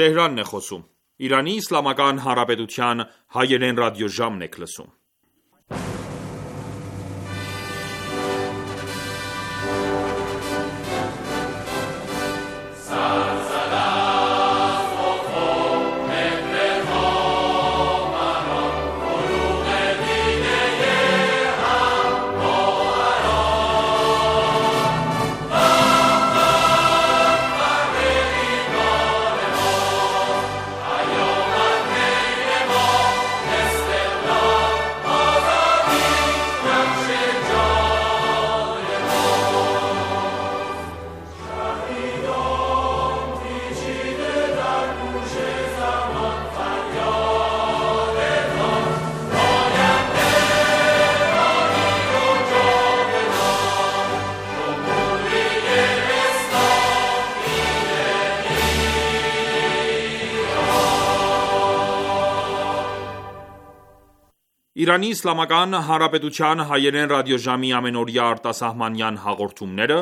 Թեհրանն է խոսում։ Իրանի Իսլամական Հանրապետության հայերեն ռադիոժամն եք լսում։ Իրանի Իսլամական Հանրապետության հայերեն ռադիոժամի ամենօրյա արտասահմանյան հաղորդումները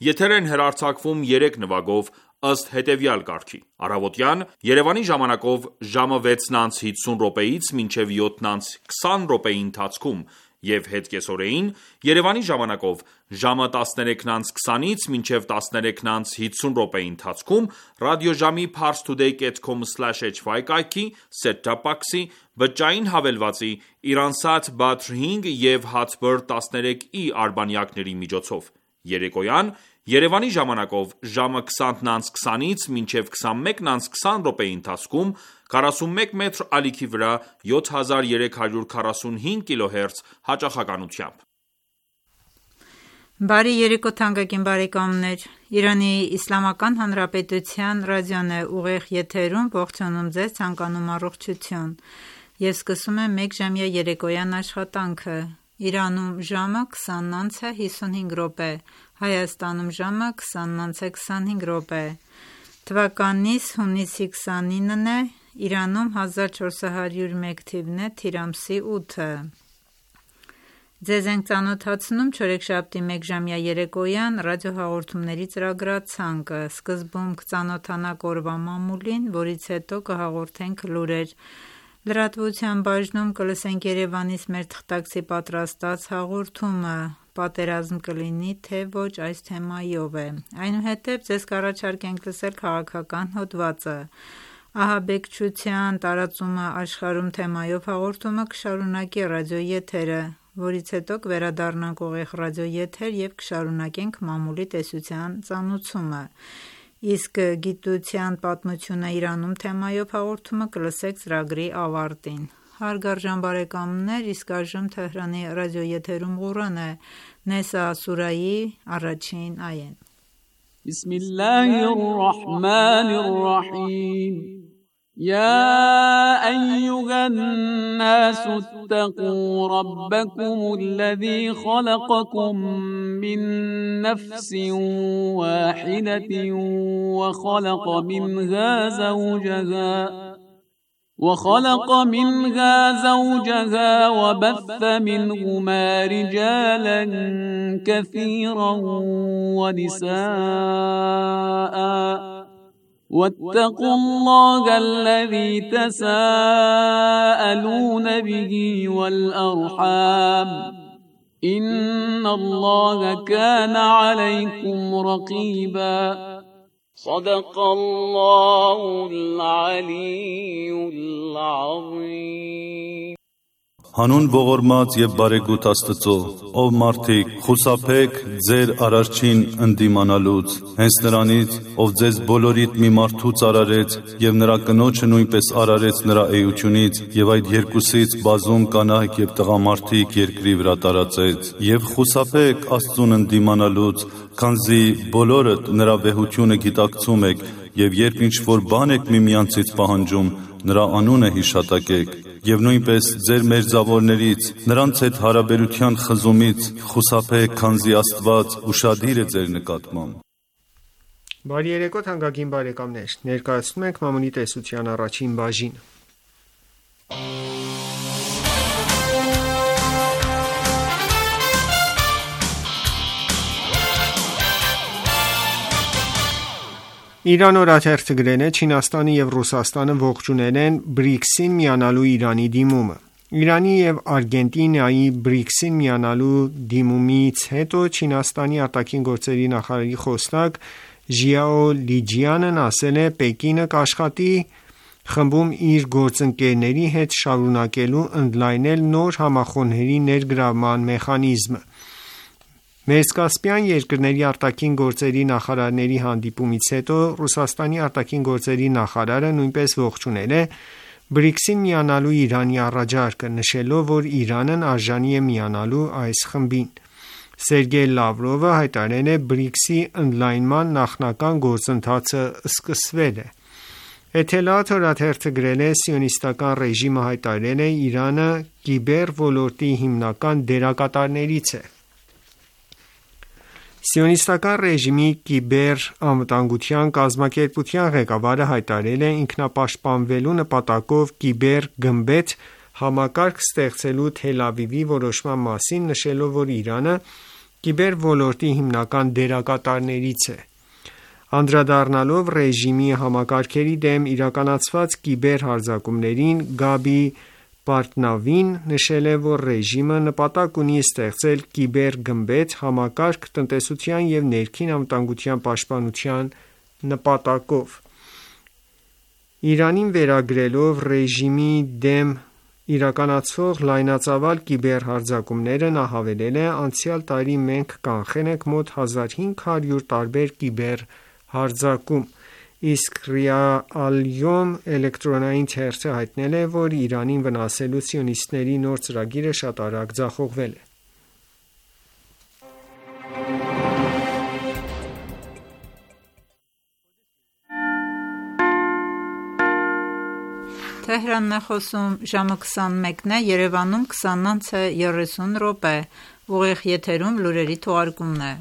եթեր են հեռարձակվում 3 նվագով ըստ հետևյալ կարգի. Առավոտյան Երևանի ժամանակով ժամը 6:50-ից մինչև 7:20 ընթացքում և հետկեսօրեին Երևանի ժամանակով ժամը 13:20-ից մինչև 13:50 ընթացքում ռադիոժամի parstoday.com/hy կայքի, set-top box-ի, բջջային հավելվածի, Iransat Badr 5 և Hotbird 13e արբանյակների միջոցով: Երեկոյան Երևանի ժամանակով ժամը 20:20-ից մինչև 21:20 ընթացքում 41 մետր ալիքի վրա 7345 kHz հաճախականությամբ: Բարի երեկո թանկագին բարեկամներ: Իրանի Իսլամական Հանրապետության ռադիոն է ուղիղ եթերում ողջունում ձեզ, ցանկանում առողջություն և սկսում է մեկժամյա երեկոյան աշխատանքը: Իրանում ժամը 20:55, Հայաստանում ժամը 20:25 թվականիս հունիսի 29-ն է, Իրանում 1401 թիվն է, թիր ամսի 8-ը: Ձեզ ենք ծանոթացնում չորեքշաբթի մեկժամյա երեկոյան ռադիոհաղորդումների ծրագրացանկը: Սկզբում կծանոթանաք օրվա մամուլին, որից հետո կհաղորդենք լուրեր: Լրատվության բաժնում կլսենք Երևանից մեր թղթակցի պատրաստած հաղորդումը, պատերազմ կլինի թե ոչ այս թեմայով է: Այնուհետև ձեզ կառաջարկենք լսել քաղաքական հոդվածը: Ահաբեկչության տարածումը աշխարհում թեմայով հաղորդումը կշարունակի ռադիոեթերը, որից հետո կվերադառնանք ուղիղ ռադիոեթեր և կշարունակենք մամուլի տեսության ծանուցումը: Իսկ գիտության պատմությունը Իրանում թեմայով հաղորդումը կլսեք ծրագրի ավարտին: Հարգարժան բարեկամներ, իսկ այժմ Թեհրանի ռադիոեթերում Ղուրան է: Նեսա սուրահի 1-ին այեն: يا أيها الناس اتقوا ربكم الذي خلقكم من نفس واحدة وخلق منها زوجها وبث منهما رجالا كثيرا ونساء واتقوا الله الذي تساءلون به والأرحام إن الله كان عليكم رقيبا صدق الله العلي العظيم Հանուն ողորմած և բարեգութ Աստծո, ով մարդիկ, խուսափեք ձեր Արարչին ընդդիմանալուց, հենց Նրանից, ով ձեզ բոլորիդ մի մարդուց արարեց և նրա կնոջը նույնպես արարեց նրա էությունից և այդ երկուսից բազում կանայք և տղամարդիկ երկրի վրա տարածեց, և խուսափեք Աստծուն ընդդիմանալուց, քանզի բոլորդ նրա վեհությունը գիտակցում եք և երբ ինչ-որ բան եք միմյանցից պահանջում, նրա անունը հիշատակեք և նույնպես ձեր մերձավորներից, նրանց հետ հարաբերության խզումից խուսափեք, քանզի Աստված ուշադիր է ձեր նկատմամբ: Բարի երեկո թանկագին բարեկամներ, ներկայացնում ենք մամուլի տեսության առաջին բաժինը: Իրան օրաթերթը գրել է. Չինաստանը և Ռուսաստանը ողջունել են BRICS-ին միանալու Իրանի դիմումը։ Իրանի և Արգենտինայի BRICS-ին միանալու դիմումից հետո Չինաստանի արտաքին գործերի նախարարի խոսնակ Ժիաո Լիջիանն ասել է. Պեկինը կաշխատի խմբում իր գործընկերների հետ շարունակելու ընդլայնել նոր համախոհների ներգրավման մեխանիզմը։ Մերձկասպյան երկրների արտաքին գործերի նախարարների հանդիպումից հետո Ռուսաստանի արտաքին գործերի նախարարը նույնպես ողջունել է BRICS-ին միանալու Իրանի առաջարկը, նշելով, որ Իրանն արժանի է միանալու այս խմբին։ Սերգեյ Լավրովը հայտարարել է. BRICS-ի ընդլայնման նախնական գործընթացը սկսվել է։ Էթելաաթ օրաթերթը գրել է. Սիոնիստական ռեժիմը հայտարարել է. Իրանը կիբեր ոլորտի հիմնական դերակատարներից է։ Սիոնիստական ռեժիմի կիբեր անվտանգության կազմակերպության ղեկավարը հայտարարել է ինքնապաշտպանվելու նպատակով կիբեր գմբեթ համակարգ ստեղծելու Թել Ավիվի որոշման մասին, նշելով, որ Իրանը կիբեր ոլորտի հիմնական դերակատարներից է։ Անդրադառնալով ռեժիմի համակարգերի դեմ իրականացված կիբեր հարձակումներին, Գաբի Պարտնավին նշել է, որ ռեժիմը նպատակ ունի ստեղծել կիբեր գմբեթ համակարգ տնտեսության և ներքին անվտանգության պաշտպանության նպատակով։ Իրանին վերագրելով ռեժիմի դեմ իրականացվող լայնածավալ կիբեր հարձակումները, նա հավելել է. Անցյալ տարի մենք կանխել ենք մոտ 1500 տարբեր կիբեր հարձակում, իսկ Ռիա Ալ-Յոմ էլեկտրոնային թերթը հայտնել է, որ Իրանին վնասելու սիոնիստների նոր ծրագիրը շատ արագ ձախողվել է։ Թեհրանն է խոսում, ժամը 21-ն է, Երևանում 20:30 ուղիղ եթերում լուրերի թողարկումն է։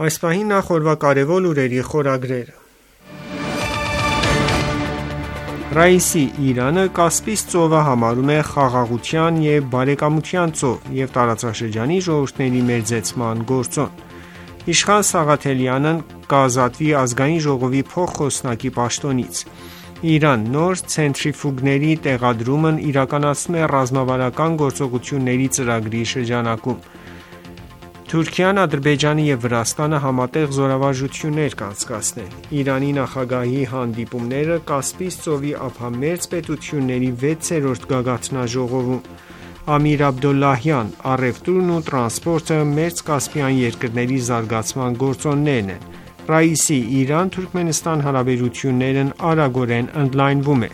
Այս պահին նախ օրվա կարևոր լուրերի խորագրերը։ Ռաիսի Իրանը Կասպից ծովը համարում է խաղաղության և բարեկամության ծով և տարածաշրջանի ժողովուրդների մերձեցման գործոն։ Իշխան Սաղաթելյանն կազատվի ազգային ժողովի փոխխոսնակի պաշտոնից։ Իրան նոր ցենտրիֆուգների տեղադրումն իրականացնում է ռազմավարական գործողությունների ծրագրի շրջանակում։ Թուրքիան, Ադրբեջանը և Վրաստանը համատեղ զորավարժություններ կանցկացնել։ Իրանի նախագահի հանդիպումները Կասպից ծովի ափամերձ պետությունների 6-րդ գագաթնաժողովում։ Ամիր Աբդոլլահյան. առևտուրն ու տրանսպորտը մերձկասպյան երկրների զարգացման գործոններն են։ Ռաիսի Իրան-Թուրքմենստան հարաբերություններն արագորեն ընդլայնվում է։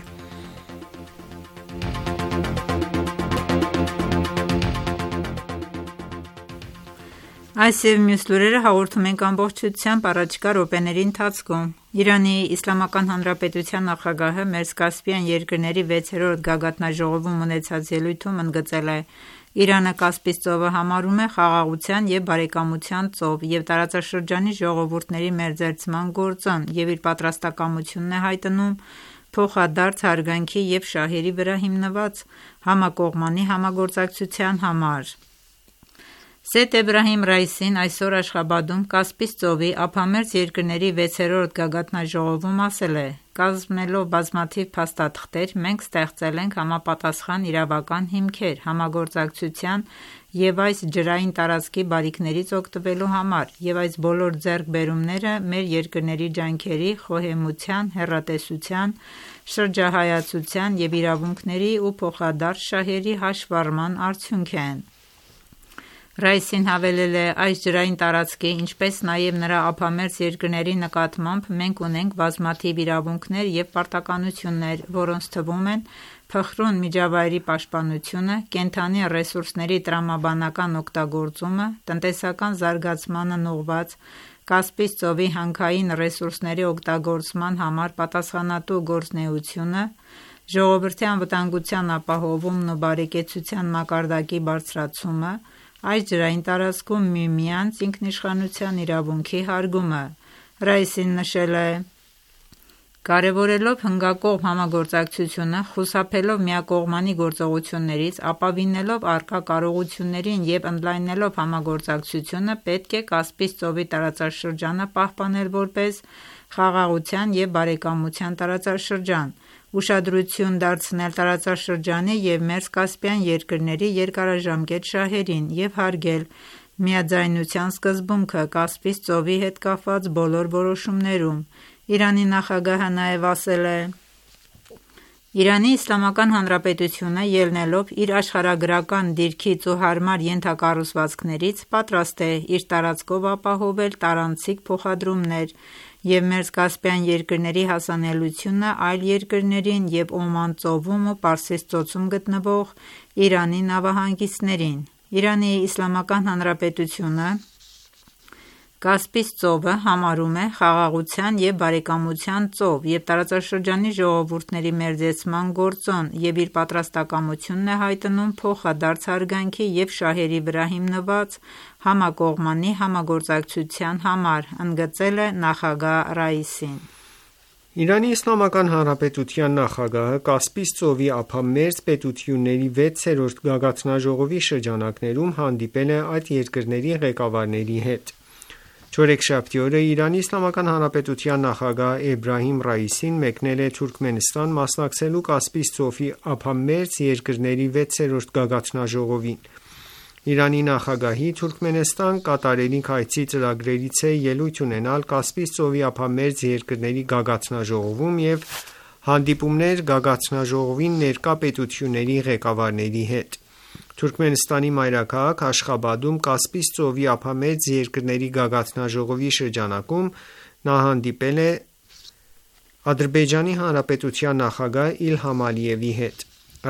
Այս և մյուս լուրերը հաղորդում ենք ամբողջությամբ առաջիկա րոպեների ընթացքում։ Իրանի Իսլամական Հանրապետության նախագահը Մերձկասպյան երկրների 6-րդ գագաթնաժողովում ունեցած ելույթում ընդգծել է. Իրանը Կասպից ծովը համարում է խաղաղության և բարեկամության ծով և տարածաշրջանի ժողովուրդների մերձեցման գործոն և իր պատրաստակամությունն է հայտնում փոխադարձ հարգանքի և շահերի վրա հիմնված համակողմանի համագործակցության համար։ Սեյեդ Էբրահիմ Ռաիսին այսօր Աշխաբադում Կասպից ծովի ափամերձ երկրների 6-րդ գագաթնաժողովում ասել է. «Կազմելով բազմաթիվ փաստաթղթեր, մենք ստեղծել ենք համապատասխան իրավական հիմքեր համագործակցության և այս ջրային տարածքի բարիքներից օգտվելու համար, և այս բոլոր ձեռքբերումները մեր երկրների ջանքերի, խոհեմության, հեռատեսության, շրջահայացության և իրավունքների ու փոխադարձ շահերի հաշվառման արդյունք են»։ Ռաիսին հավելել է. «Այս ջրային տարածքի, ինչպես նաև նրա ափամերձ երկրների նկատմամբ մենք ունենք բազմաթիվ իրավունքներ և պարտականություններ, որոնց թվում են փխրուն միջավայրի պաշտպանությունը, կենդանի ռեսուրսների տրամաբանական օգտագործումը, տնտեսական զարգացմանն ուղղված Կասպից ծովի հանքային ռեսուրսների օգտագործման համար պատասխանատու գործունեությունը, ժողովրդի անվտանգության ապահովումն ու բարեկեցության մակարդակի բարձրացումը, այս ջրային տարածքում միմյանց ինքնիշխանության իրավունքի հարգումը»։ Ռաիսին նշել է. Կարևորելով հնգակողմ համագործակցությունը, խուսափելով միակողմանի գործողություններից, ապավինելով առկա կարողություններին և ընդլայնելով համագործակցությունը, պետք է Կասպից ծովի տարածաշրջանը պահպանել որպես խաղաղության և բարեկամության տարածաշրջան, ուշադրություն դարձնել տարածաշրջանի և Մերձկասպյան երկրների երկարաժամկետ շահերին և հարգել միաձայնության սկզբունքը Կասպից ծովի հետ կապված բոլոր որոշումներում։ Իրանի նախագահը նաև ասել է. «Իրանի Իսլամական Հանրապետությունը, ելնելով իր աշխարհագրական դիրքից ու հարմար ենթակառուցվածքներից, պատրաստ է իր տարածքով ապահովել տարանցիկ փոխադրումներ և Մերձկասպյան երկրների հասանելիությունը այլ երկրներին և Օման ծովում ու Պարսից ծոցում գտնվող Իրանի նավահանգիստներին։ Իրանի Իսլամական Հանրապետությունը Կասպից ծովը համարում է խաղաղության և բարեկամության ծով և տարածաշրջանի ժողովուրդների մերձեցման գործոն և իր պատրաստակամությունն է հայտնում փոխադարձ հարգանքի և շահերի վրա հիմնված համակողմանի համագործակցության համար», ընդգծել է նախագահ Ռայիսին։ Իրանի Իսլամական Հանրապետության նախագահը Կասպից ծովի ափամերձ պետությունների 6-րդ գագաթնաժողովի շրջանակներում հանդիպել է այդ երկրների ղեկավարների հետ։ Չորեքշաբթի օրը Իրանի Իսլամական Հանրապետության նախագահ Էբրահիմ Ռայիսին մեկնել է Թուրքմենստան մասնակցելու Կասպից ծովի ափամերձ երկրների 6-րդ գագաթնաժողովին։ Իրանի նախագահի Թուրքմենստան կատարելիք այցի ծրագրերից է ելույթ ունենալ Կասպից ծովի ափամերձ երկրների գագաթնաժողովում և հանդիպումներ գագաթնաժողովին ներկա պետությունների ղեկավարների հետ։ Թուրքմենստանի մայրաքաղաք Աշխաբադում Կասպից ծովի ափամերձ երկրների գագաթնաժողովի շրջանակում նա հանդիպել է Ադրբեջանի Հանրապետության նախագահ Իլհամ Ալիևի հետ։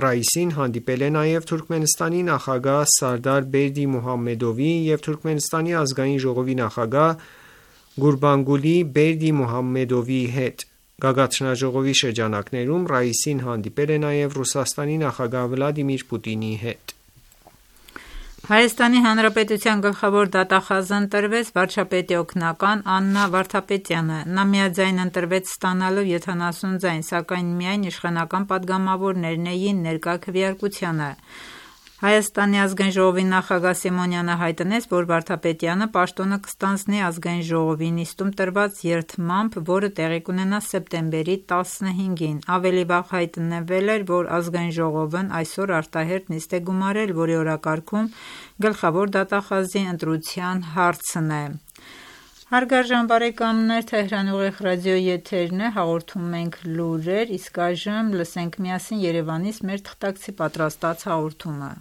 Ռայիսին հանդիպել է նաև Թուրքմենստանի նախագահ Սարդար Բերդի Մուհամմեդովի և Թուրքմենստանի ազգային ժողովի նախագահ Գուրբանգուլի Բերդի Մուհամմեդովի հետ։ Գագաթնաժողովի շրջանակներում Ռայիսին հանդիպել է նաև Ռուսաստանի նախագահ Վլադիմիր Պուտինի հետ։ Հայաստանի Հանրապետության գլխավոր դատախազն ընտրվեց վարչապետի օգնական Աննա Վարդապետյանը։ Նա միաձայն ընտրվեց ստանալով 70 ձայն, սակայն միայն իշխանական պատգամավորներն էին ներկա քվեարկությանը։ Հայաստանի ազգային ժողովի նախագահ Սիմոնյանը հայտնեց, որ Վարդապետյանը պաշտոնը կստանձնի ազգային ժողովի նիստում տրված երդմամբ, որը տեղի կունենա սեպտեմբերի 15-ին։ Ավելի վաղ հայտնվել էր, որ ազգային ժողովն այսօր արտահերթ նիստ է գումարել, որի օրակարգում գլխավոր դատախազի ընտրության հարցն է։ Հարգարժան բարեկամներ, Թեհրան ուղիղ ռադիոյի եթերն է, հաղորդում ենք լուրեր, իսկ այժմ լսենք միասին Երևանից մեր թղթակցի պատրաստած հաղորդումը։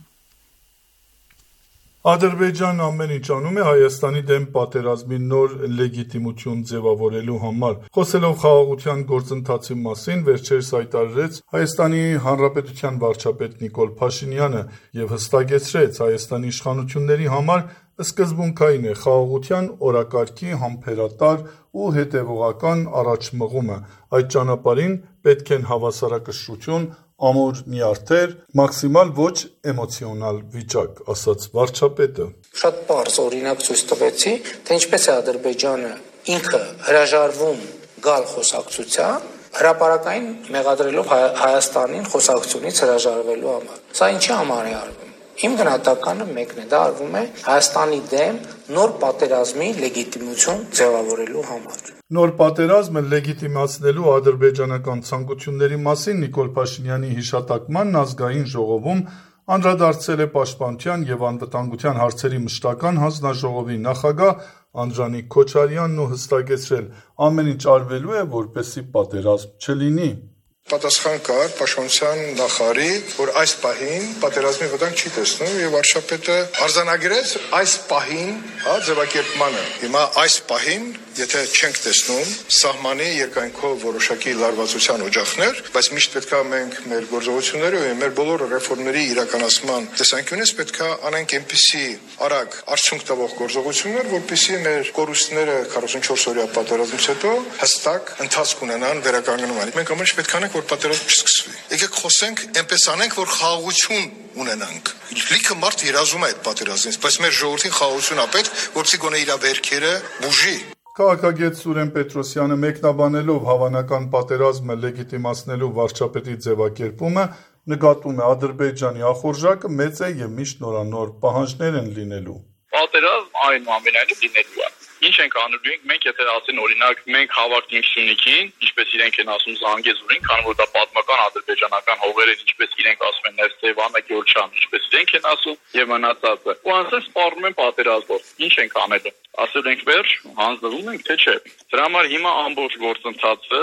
Ադրբեջանն ամեն ինչ անում է Հայաստանի դեմ պատերազմի նոր լեգիտիմություն ձևավորելու համար։ Խոսելով խաղաղության գործընթացի մասին, վերջերս հայտարարեց Հայաստանի Հանրապետության վարչապետ Նիկոլ Փաշինյանը և հստակեցրեց Հայաստանի իշխանությունների համար սկզբունքային է խաղաղության օրակարգի համբերատար ու հետևողական առաջմղումը։ Այդ ճանապարհին պետք են հավասարակշռություն, ամուր նյարդեր, մաքսիմալ ոչ էմոցիոնալ վիճակ, ասաց վարչապետը։ Շատ պարզ օրինակ ցույց տվեցի, թե ինչպես է Ադրբեջանը ինքը հրաժարվում գալ խոսակցության, հրապարակային մեղադրելով Հայաստանին խոսակցությունից հրաժարվելու համար։ Սա ինչի համար է արվում։ Իմ գնահատականը մեկն է, դա արվում է Հայաստանի դեմ նոր պատերազմի լեգիտիմություն ձևավորելու համար։ Նոր պատերազմը լեգիտիմացնելու ադրբեջանական ցանկությունների մասին Նիկոլ Փաշինյանի հիշատակմանն ազգային ժողովում անդրադարձել է Պաշտպանության և անվտանգության հարցերի մշտական հանձնաժողովի նախագահ Անդրանիկ Քոչարյանն ու հստակեցրել՝ ամեն ինչ արվելու է, որպեսզի պատերազմ չլինի։ Պատասխան կար Պաշտպանության նախարարի, որ այս պահին պատերազմի վտանգ չի տեսնում եւ վարչապետը արձանագրեց այս պահին, ձևակերպմանը։ Հիմա այս պահին, եթե չենք տեսնում սահմանի երկայնքով որոշակի լարվածության օջախներ, բայց միշտ պետքա մենք մեր գործողությունները եւ մեր բոլոր ռեֆորմների իրականացման տեսանկյունից պետքա անենք այնպիսի արագ արդյունք տվող գործողություններ, որպեսզի մեր կորուստները 44 օրյա պատերազմից հետո հստակ ընթացք ունենան վերականգնման։ Մենք ամեն ինչ պետք է անենք, որ պատերազմը չսկսվի։ Եկեք խոսենք, այնպես անենք, որ խաղաղություն ունենանք։ Լիքը մարդ երազում է այդ պատերազմից, բայց մեր ժողովրդին խաղաղություն է պետք, որպեսզի գոնե իր վերքերը բուժի։ Քաղաքագետ Սուրեն Պետրոսյանը մեկնաբանելով հավանական պատերազմը լեգիտիմացնելու վարչապետի ձևակերպումը նկատում է Ադրբեջանի ախորժակը մեծ է եւ միշտ նորանոր պահանջներ են լինելու։ Պատերազմ այնուամենայնիվ լինելու է։ Ինչ ենք անելու մենք, եթե ասեն օրինակ մենք հավաքենք Սյունիքին, ինչպես իրենք են ասում Զանգեզուրին, քանի որ դա պատմական ադրբեջանական հողեր են, ինչպես իրենք ասում են Ներսեվանը, Գյոլչան, ինչպես իրենք են ասում, եւ մնացածը։ Ու ասեն սպառնում են պատերազմով։ Ինչ ենք անելու։ Ասել ենք վերջ, հանձնվում ենք, թե չէ։ Դրա համար հիմա ամբողջ գործընթացը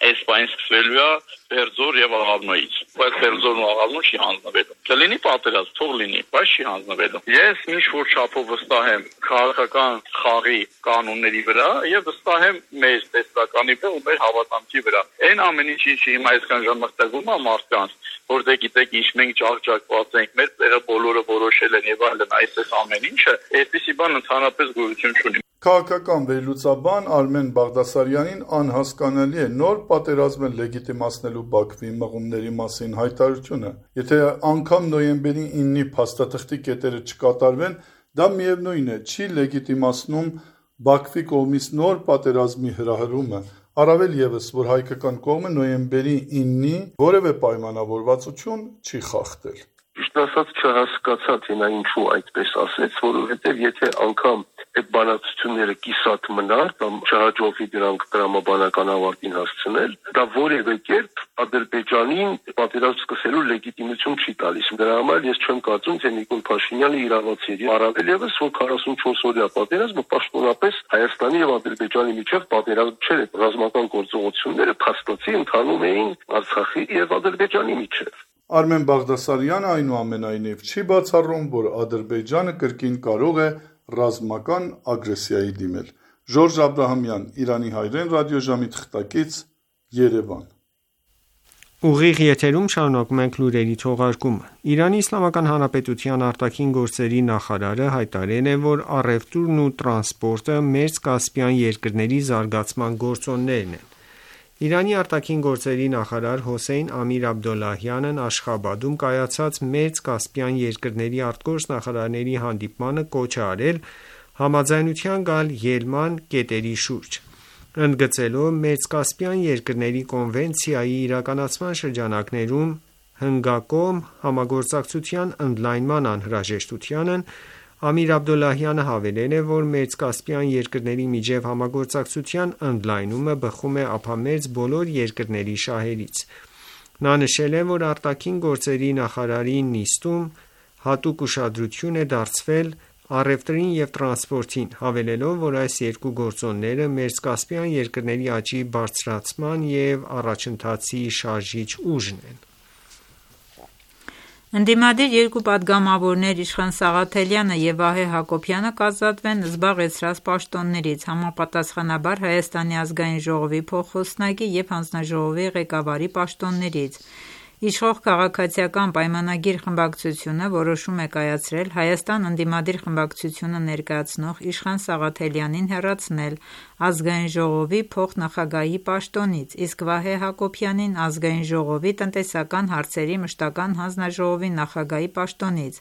այս բանից սկսվելու է Բերձոր եւ Աղավնոյից։ Բայց Բերձորն ու Աղավնոն չի հանձնվելու։ Կլինի պատերազմ, թող լինի, բայց չի հանձնվելու։ Ես ինչ որ չափով վստահ եմ քաղաքական խաղի կանոնների վրա եւ վստահ եմ մեր տեսականի վրա ու մեր հավատամքի վրա։ Այն ամեն ինչի հիմա այսքան ժամ մտածում եմ մարդկանց, որ դե գիտեք ինչ մենք ջախջակված ենք, մեր տեղը բոլորը որոշել են եւ այլն, այս ամեն ինչը, այսպեսի բան ընդհանրապես գոյություն չունի։ Քաղաքական վերլուծաբան Արմեն Բաղդասարյանին անհասկանալի է նոր պատերազմը լեգիտիմացնելու Բաքվի մղումների մասին հայտարարությունը։ Եթե անգամ նոյեմբերի 9-ի փաստաթղթի կետերը չկատարվեն, դա միևնույն է, չի լեգիտիմացնում Բաքվի կողմից նոր պատերազմի հրահրումը, առավել ևս, որ հայկական կողմը նոյեմբերի 9-ի որևէ պայմանավորվածություն չի խախտել։ Ճիշտ ասած չհասկացա, թե նա ինչու այդպես ասեց, որովհետև եթե անգամ այդ բանակցությունները կիսատ մնար կամ չհաջողվի դրանք տրամաբանական ավարտին հասցնել, դա որևէ կերպ Ադրբեջանին պատերազմ սկսելու լեգիտիմություն չի տալիս։ Դրա համար ես չեմ կարծում, թե Նիկոլ Փաշինյանը իրավացի է, առավել ևս, որ 44-օրյա պատերազմը պաշտոնապես Հայաստանի եւ Ադրբեջանի միջև պատերազմ չէր, ռազմական գործողությունները փաստացի ընթանում էին Արցախի եւ Ադրբեջանի միջև։ Արմեն Բաղդասարյանը այնուամենայնիվ չի բացառում, որ Ադրբեջանը կրկին կարող է ռազմական ագրեսիայի դիմել։ Ժորժ Աբրահամյան, Իրանի հայրեն ռադիոժամի թղթակից, Երևան։ Ուղիղ եթերում շարունակում ենք լուրերի թողարկումը։ Իրանի Իսլամական Հանրապետության արտաքին գործերի նախարարը հայտարարել է, որ առևտուրն ու տրանսպորտը Մերձ Կասպյան երկրների զարգացման գործոններն են։ Իրանի արտաքին գործերի նախարար Հոսեյն Ամիր Աբդոլլահյանն Աշխաբադում կայացած Մերձ Կասպյան երկրների արտգործ նախարարների հանդիպմանը կոչ է արել համաձայնության գալ ելման կետերի շուրջ, ընդգծելով Մերձկասպյան երկրների կոնվենցիայի իրականացման շրջանակներում հնգակողմ համագործակցության ընդլայնման անհրաժեշտությանն։ Ամիր Աբդոլլահյանը հավելել է, որ Մերձկասպյան երկրների միջև համագործակցության ընդլայնումը բխում է ափամերձ բոլոր երկրների շահերից։ Նա նշել է, որ արտաքին գործերի նախարարի նիստում հատուկ ուշադրություն է դարձվել առևտրին և տրանսպորտին, հավելելով, որ այս երկու գործոնները Մերձկասպյան երկրների աճի բարձրացման և առաջընթացի շարժիչ ուժն են։ Ընդդիմադիր երկու պատգամավորներ Իշխան Սաղաթելյանը և Վահե Հակոբյանը կազատվեն զբաղեցրած պաշտոններից, համապատասխանաբար Հայաստանի ազգային ժողովի փոխխոսնակի և հանձնաժողովի ղեկավարի պաշտոններից։ Իշխող Քաղաքացիական պայմանագիր խմբակցությունը որոշում է կայացրել Հայաստան ընդդիմադիր խմբակցությունը ներկայացնող Իշխան Սաղաթելյանին հեռացնել ազգային ժողովի փոխնախագահի պաշտոնից, իսկ Վահե Հակոբյանին ազգային ժողովի տնտեսական հարցերի մշտական հանձնաժողովի նախագահի պաշտոնից,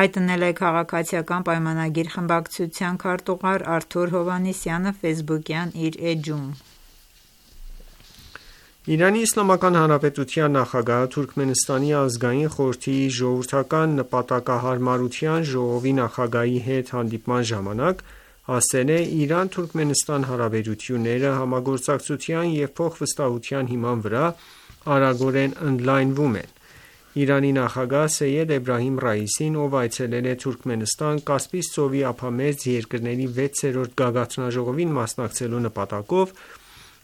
հայտնել է Քաղաքացիական պայմանագիր խմբակցության քարտուղար Արթուր Հովհաննիսյանը ֆեյսբուքյան իր էջում։ Իրանի Իսլամական Հանրապետության նախագահը Թուրքմենստանի ազգային խորհրդի ժողովրդական նպատակահարմարության ժողովի նախագահի հետ հանդիպման ժամանակ ասել է. Իրան-Թուրքմենստան հարաբերությունները համագործակցության և փոխվստահության հիման վրա արագորեն ընդլայնվում են։ Իրանի նախագահ Սեյեդ Էբրահիմ Ռայիսին, ով այցելել է Թուրքմենստան, Կասպից ծովի ափամերձ երկրների 6-րդ գագաթնաժողովին մասնակցելու նպատակով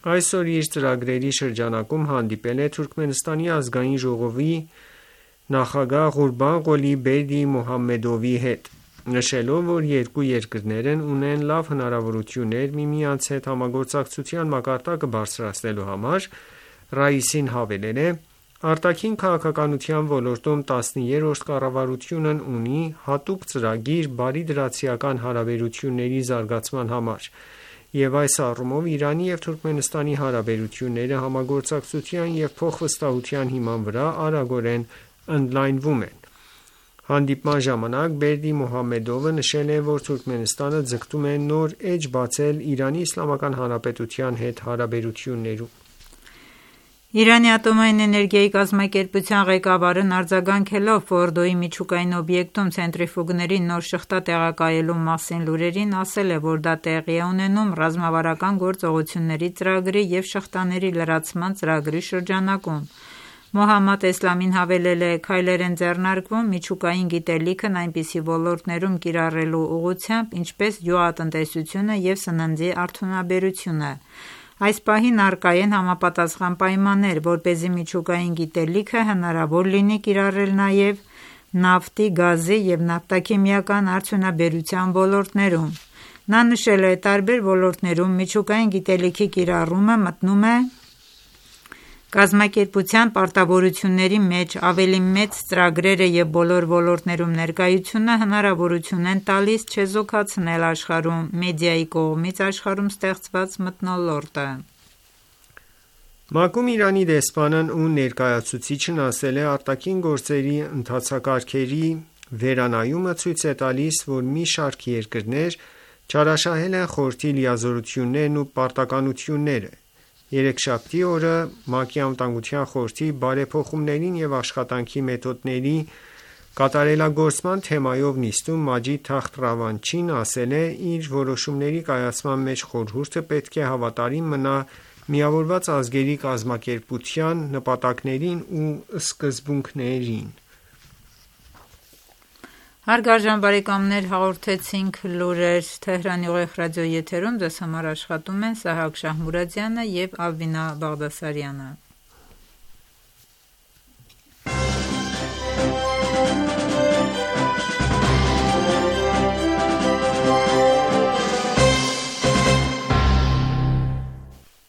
այսօր իր ծրագրերի շրջանակում հանդիպել է Թուրքմենստանի ազգային ժողովի նախագահ Ղուրբան-Ղոլի Բերդի Մոհամմեդովի հետ, նշելով, որ երկու երկրներն ունեն լավ հնարավորություններ միմյանց հետ համագործակցության մակարդակը բարձրացնելու համար։ Ռայիսին հավելել է. Արտաքին քաղաքականության ոլորտում 13-րդ կառավարությունն ունի հատուկ ծրագիր բարիդրացիական հարաբերությունների զարգացման համար, և այս առումով Իրանի և Թուրքմենստանի հարաբերությունները համագործակցության և փոխվստահության հիման վրա արագորեն ընդլայնվում են։ Հանդիպման ժամանակ Բերդի Մուհամմեդովը նշել է, որ Թուրքմենստանը ձգտում է նոր էջ բացել Իրանի Իսլամական Հանրապետության հետ հարաբերություններում։ Իրանի ատոմային էներգիայի կազմակերպության ղեկավարն արձագանքելով Ֆորդոյի միջուկային օբյեկտում ցենտրիֆուգների նոր շղթա տեղակայելու մասին լուրերին, ասել է, որ դա տեղի է ունենում ռազմավարական գործողությունների ծրագրի և շղթաների լրացման ծրագրի շրջանակում։ Մոհամմադ Էսլամին հավելել է. «Քայլեր են ձեռնարկվում միջուկային գիտելիքն այնպիսի ոլորտներում կիրառելու ուղղությամբ, ինչպես գյուղատնտեսությունը և սննդի արդյունաբերությունը։ Այս պահին առկա են համապատասխան պայմաններ, որպեսզի միջուկային գիտելիքը հնարավոր լինի կիրառել նաև նավթի, գազի և նավթաքիմիական արդյունաբերության ոլորտներում»։ Նա նշել է. «Տարբեր ոլորտներում միջուկային գիտելիքի կիրառումը մտնում է կազմակերպության պարտավորությունների մեջ, ավելի մեծ ծրագրերը և բոլոր ոլորտներում ներկայությունը հնարավորություն են տալիս չեզոքացնել աշխարհում մեդիայի կողմից աշխարհում ստեղծված մթնոլորտը»։ ՄԱԿ-ում Իրանի դեսպանն ու ներկայացուցիչն ասել է. «Արտաքին գործերի ընթացակարգերի վերանայումը ցույց է տալիս, որ մի շարք երկրներ չարաշահել են խորհրդի լիազորություններն ու պարտականությունները»։ Երեքշաբթի օրը ՄԱԿ-ի Անվտանգության խորհրդի բարեփոխումներին և աշխատանքի մեթոդների կատարելագործման թեմայով նիստում Մաջիդ Թախտ Ռավանչին ասել է. «Իր որոշումների կայացման մեջ խորհուրդը պետք է հավատարիմ մնա Միավորված ազգերի կազմակերպության նպատակներին ու սկզբունքներին»։ Հարգարժան բարեկամներ, հաղորդեցինք լուրեր Թեհրանի ուղիղ ռադիոյի եթերում։ Ձեզ համար աշխատում են Սահակ Շահմուրադյանը և Ալվինա Բաղդասարյանը։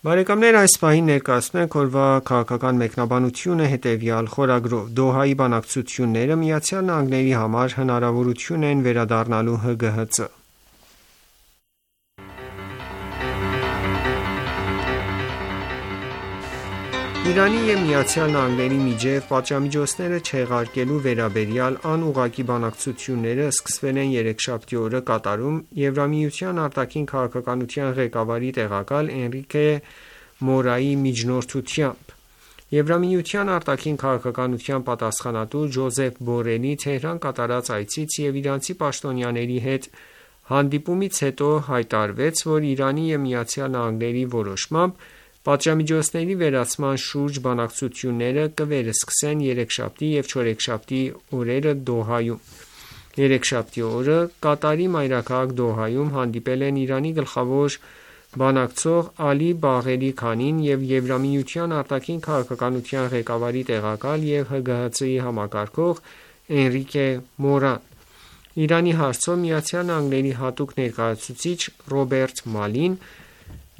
Բարեկամներ, այս պահին ներկայացնում ենք օրվա քաղաքական մեկնաբանությունը հետևյալ խորագրով. Դոհայի բանակցությունները ԱՄՆ-ի համար հնարավորություն են վերադառնալու ՀԳՀԾ։ Իրանի և ԱՄՆ-ի միջև պատժամիջոցները չեղարկելու վերաբերյալ անուղղակի բանակցությունները սկսվել են երեքշաբթի օրը Կատարում Եվրամիության արտաքին քաղաքականության ղեկավարի տեղակալ Էնրիկե Մորայի միջնորդությամբ։ Եվրամիության արտաքին քաղաքականության պատասխանատու Ջոզեփ Բորելի Թեհրան կատարած այցից և իրանցի պաշտոնյաների հետ հանդիպումից հետո հայտարարվեց, որ Իրանի և ԱՄՆ-ի որոշմամբ պատժամիջոցների վերացման շուրջ բանակցությունները կվերսկսեն երեքշաբթի և չորեքշաբթի օրերը Դոհայում։ Երեքշաբթի օրը Կատարի մայրաքաղաք Դոհայում հանդիպել են Իրանի գլխավոր բանակցող Ալի Բաղերի Քանին և Եվրամիության արտաքին քաղաքականության ղեկավարի տեղակալ և ՀԳՀԾ-ի համակարգող Էնրիկե Մորան։ Իրանի հարցով ԱՄՆ-ի հատուկ ներկայացուցիչ Ռոբերտ Մալին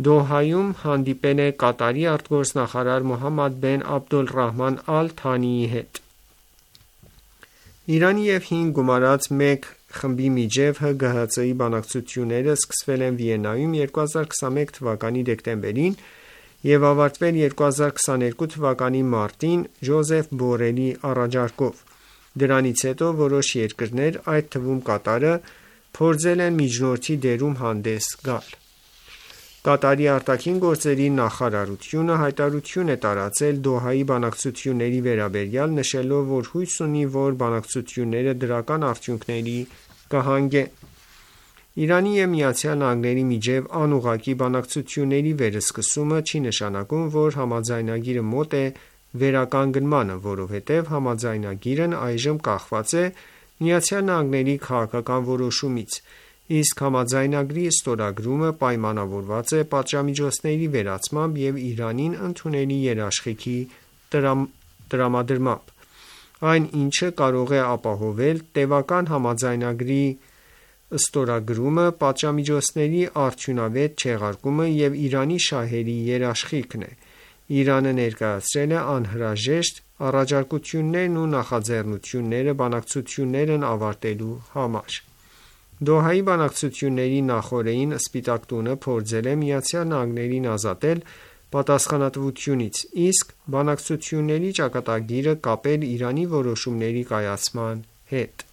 Դոհայում հանդիպել է Կատարի արտգործնախարար Մոհամմադ բեն Աբդոլռահման Ալ Թանիի հետ։ Իրանի և 5 գումարած 1 խմբի միջև ՀԳՀԾ-ի բանակցությունները սկսվել են Վիեննայում 2021 թվականի դեկտեմբերին և ավարտվել 2022 թվականի մարտին Ջոզեփ Բորելի առաջարկով։ Դրանից հետո որոշ երկրներ, այդ թվում Կատարը, փորձել են միջնորդի դերում հանդես գալ։ Կատարի արտաքին գործերի նախարարությունը հայտարարություն է տարածել Դոհայի բանակցությունների վերաբերյալ, նշելով, որ հույս ունի, որ բանակցությունները դրական արդյունքների կհանգեն։ Իրանի և ԱՄՆ-ի միջև անուղղակի բանակցությունների վերսկսումը չի նշանակում, որ համաձայնագիրը մոտ է վերականգնմանը, որովհետև համաձայնագիրն այժմ կախված է ԱՄՆ-ի քաղաքական որոշումից, իսկ համաձայնագրի ստորագրումը պայմանավորված է պատժամիջոցների վերացմամբ և Իրանին ընդունելի երաշխիքի տրամադրմամբ։ Այն, ինչը կարող է ապահովել տևական համաձայնագրի ստորագրումը, պատժամիջոցների արդյունավետ չեղարկումը և Իրանի շահերի երաշխիքն է։ Իրանը ներկայացրել է անհրաժեշտ առաջարկություններն ու նախաձեռնությունները բանակցություններն ավարտելու համար։ Դոհայի բանակցությունների նախօրեին Սպիտակ տունը փորձել է ԱՄՆ-ին ազատել պատասխանատվությունից, իսկ բանակցությունների ճակատագիրը կապել Իրանի որոշումների կայացման հետ։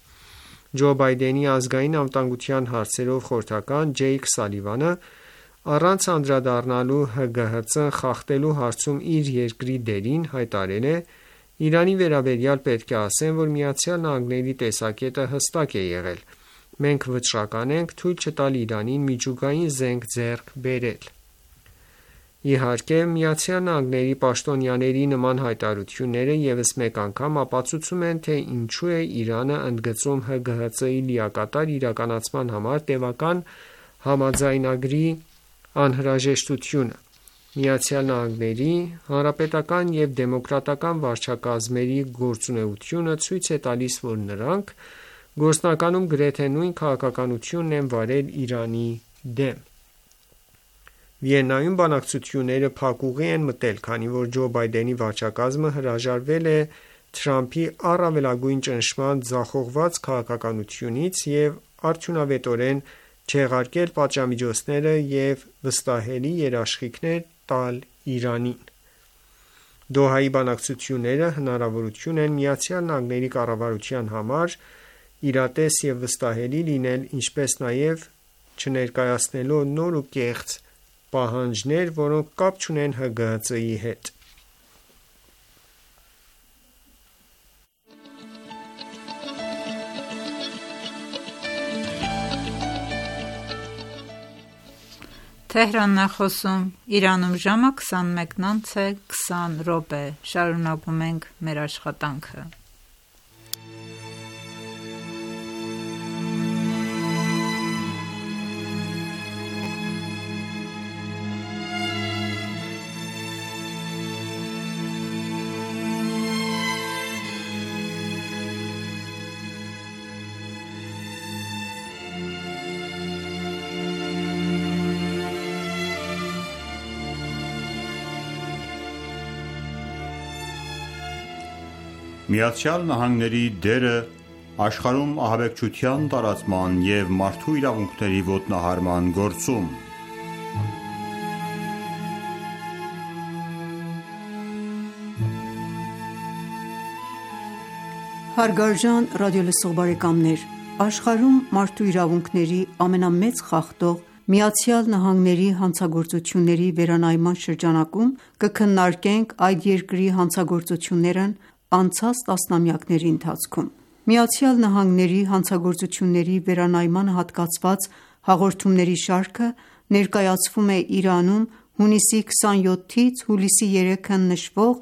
Ջո Բայդենի ազգային անվտանգության հարցերով խորհրդական Ջեյք Սալիվանը առանց անդրադառնալու ՀԳՀԾ-ն խախտելու հարցում իր երկրի դերին հայտարարել է. «Իրանի վերաբերյալ պետք է ասեմ, որ ԱՄՆ-ի տեսակետը հստակ է եղել. մենք վճռական ենք թույլ չտալ Իրանին միջուկային զենք ձեռք բերել»։ Իհարկե, ԱՄՆ պաշտոնյաների նման հայտարարությունները ևս մեկ անգամ ապացուցում են, թե ինչու է Իրանը ընդգծում ՀԳՀԾ-ի լիակատար իրականացման համար տևական համաձայնագրի անհրաժեշտությունը։ ԱՄՆ-ի հանրապետական և դեմոկրատական վարչակազմերի գործունեությունը ցույց է տալիս, որ նրանք գործնականում գրեթե նույն քաղաքականությունն են վարել Իրանի դեմ։ Վիեննայում բանակցությունները փակուղի են մտել, քանի որ Ջո Բայդենի վարչակազմը հրաժարվել է Թրամփի առավելագույն ճնշման ձախողված քաղաքականությունից և արդյունավետորեն չեղարկել պատժամիջոցները և վստահելի երաշխիքներ տալ Իրանին։ Դոհայի բանակցությունները հնարավորություն են ԱՄՆ կառավարության համար իրատես և վստահելի լինել, ինչպես նաև չներկայացնելով նոր ու կեղծ պահանջներ, որոնք կապ չունեն ՀԳՀԾ-ի հետ։ Իրանում ժամը 21:20 շարունակում ենք մեր աշխատանքը։ ԱՄՆ-ի դերը աշխարհում ահաբեկչության տարածման և մարդու իրավունքների ոտնահարման գործում։ Հարգարժան ռադիոլսող բարեկամներ, աշխարհում մարդու իրավունքների ամենամեծ խախտող ԱՄՆ-ի հանցագործությունների վերանայման շրջանակում կքննարկենք այդ երկրի հանցագործություններն անցած տասնամյակների ընթացքում։ ԱՄՆ-ի հանցագործությունների վերանայմանը հատկացված հաղորդումների շարքը ներկայացվում է Իրանում հունիսի 27-ից հուլիսի 3-ը նշվող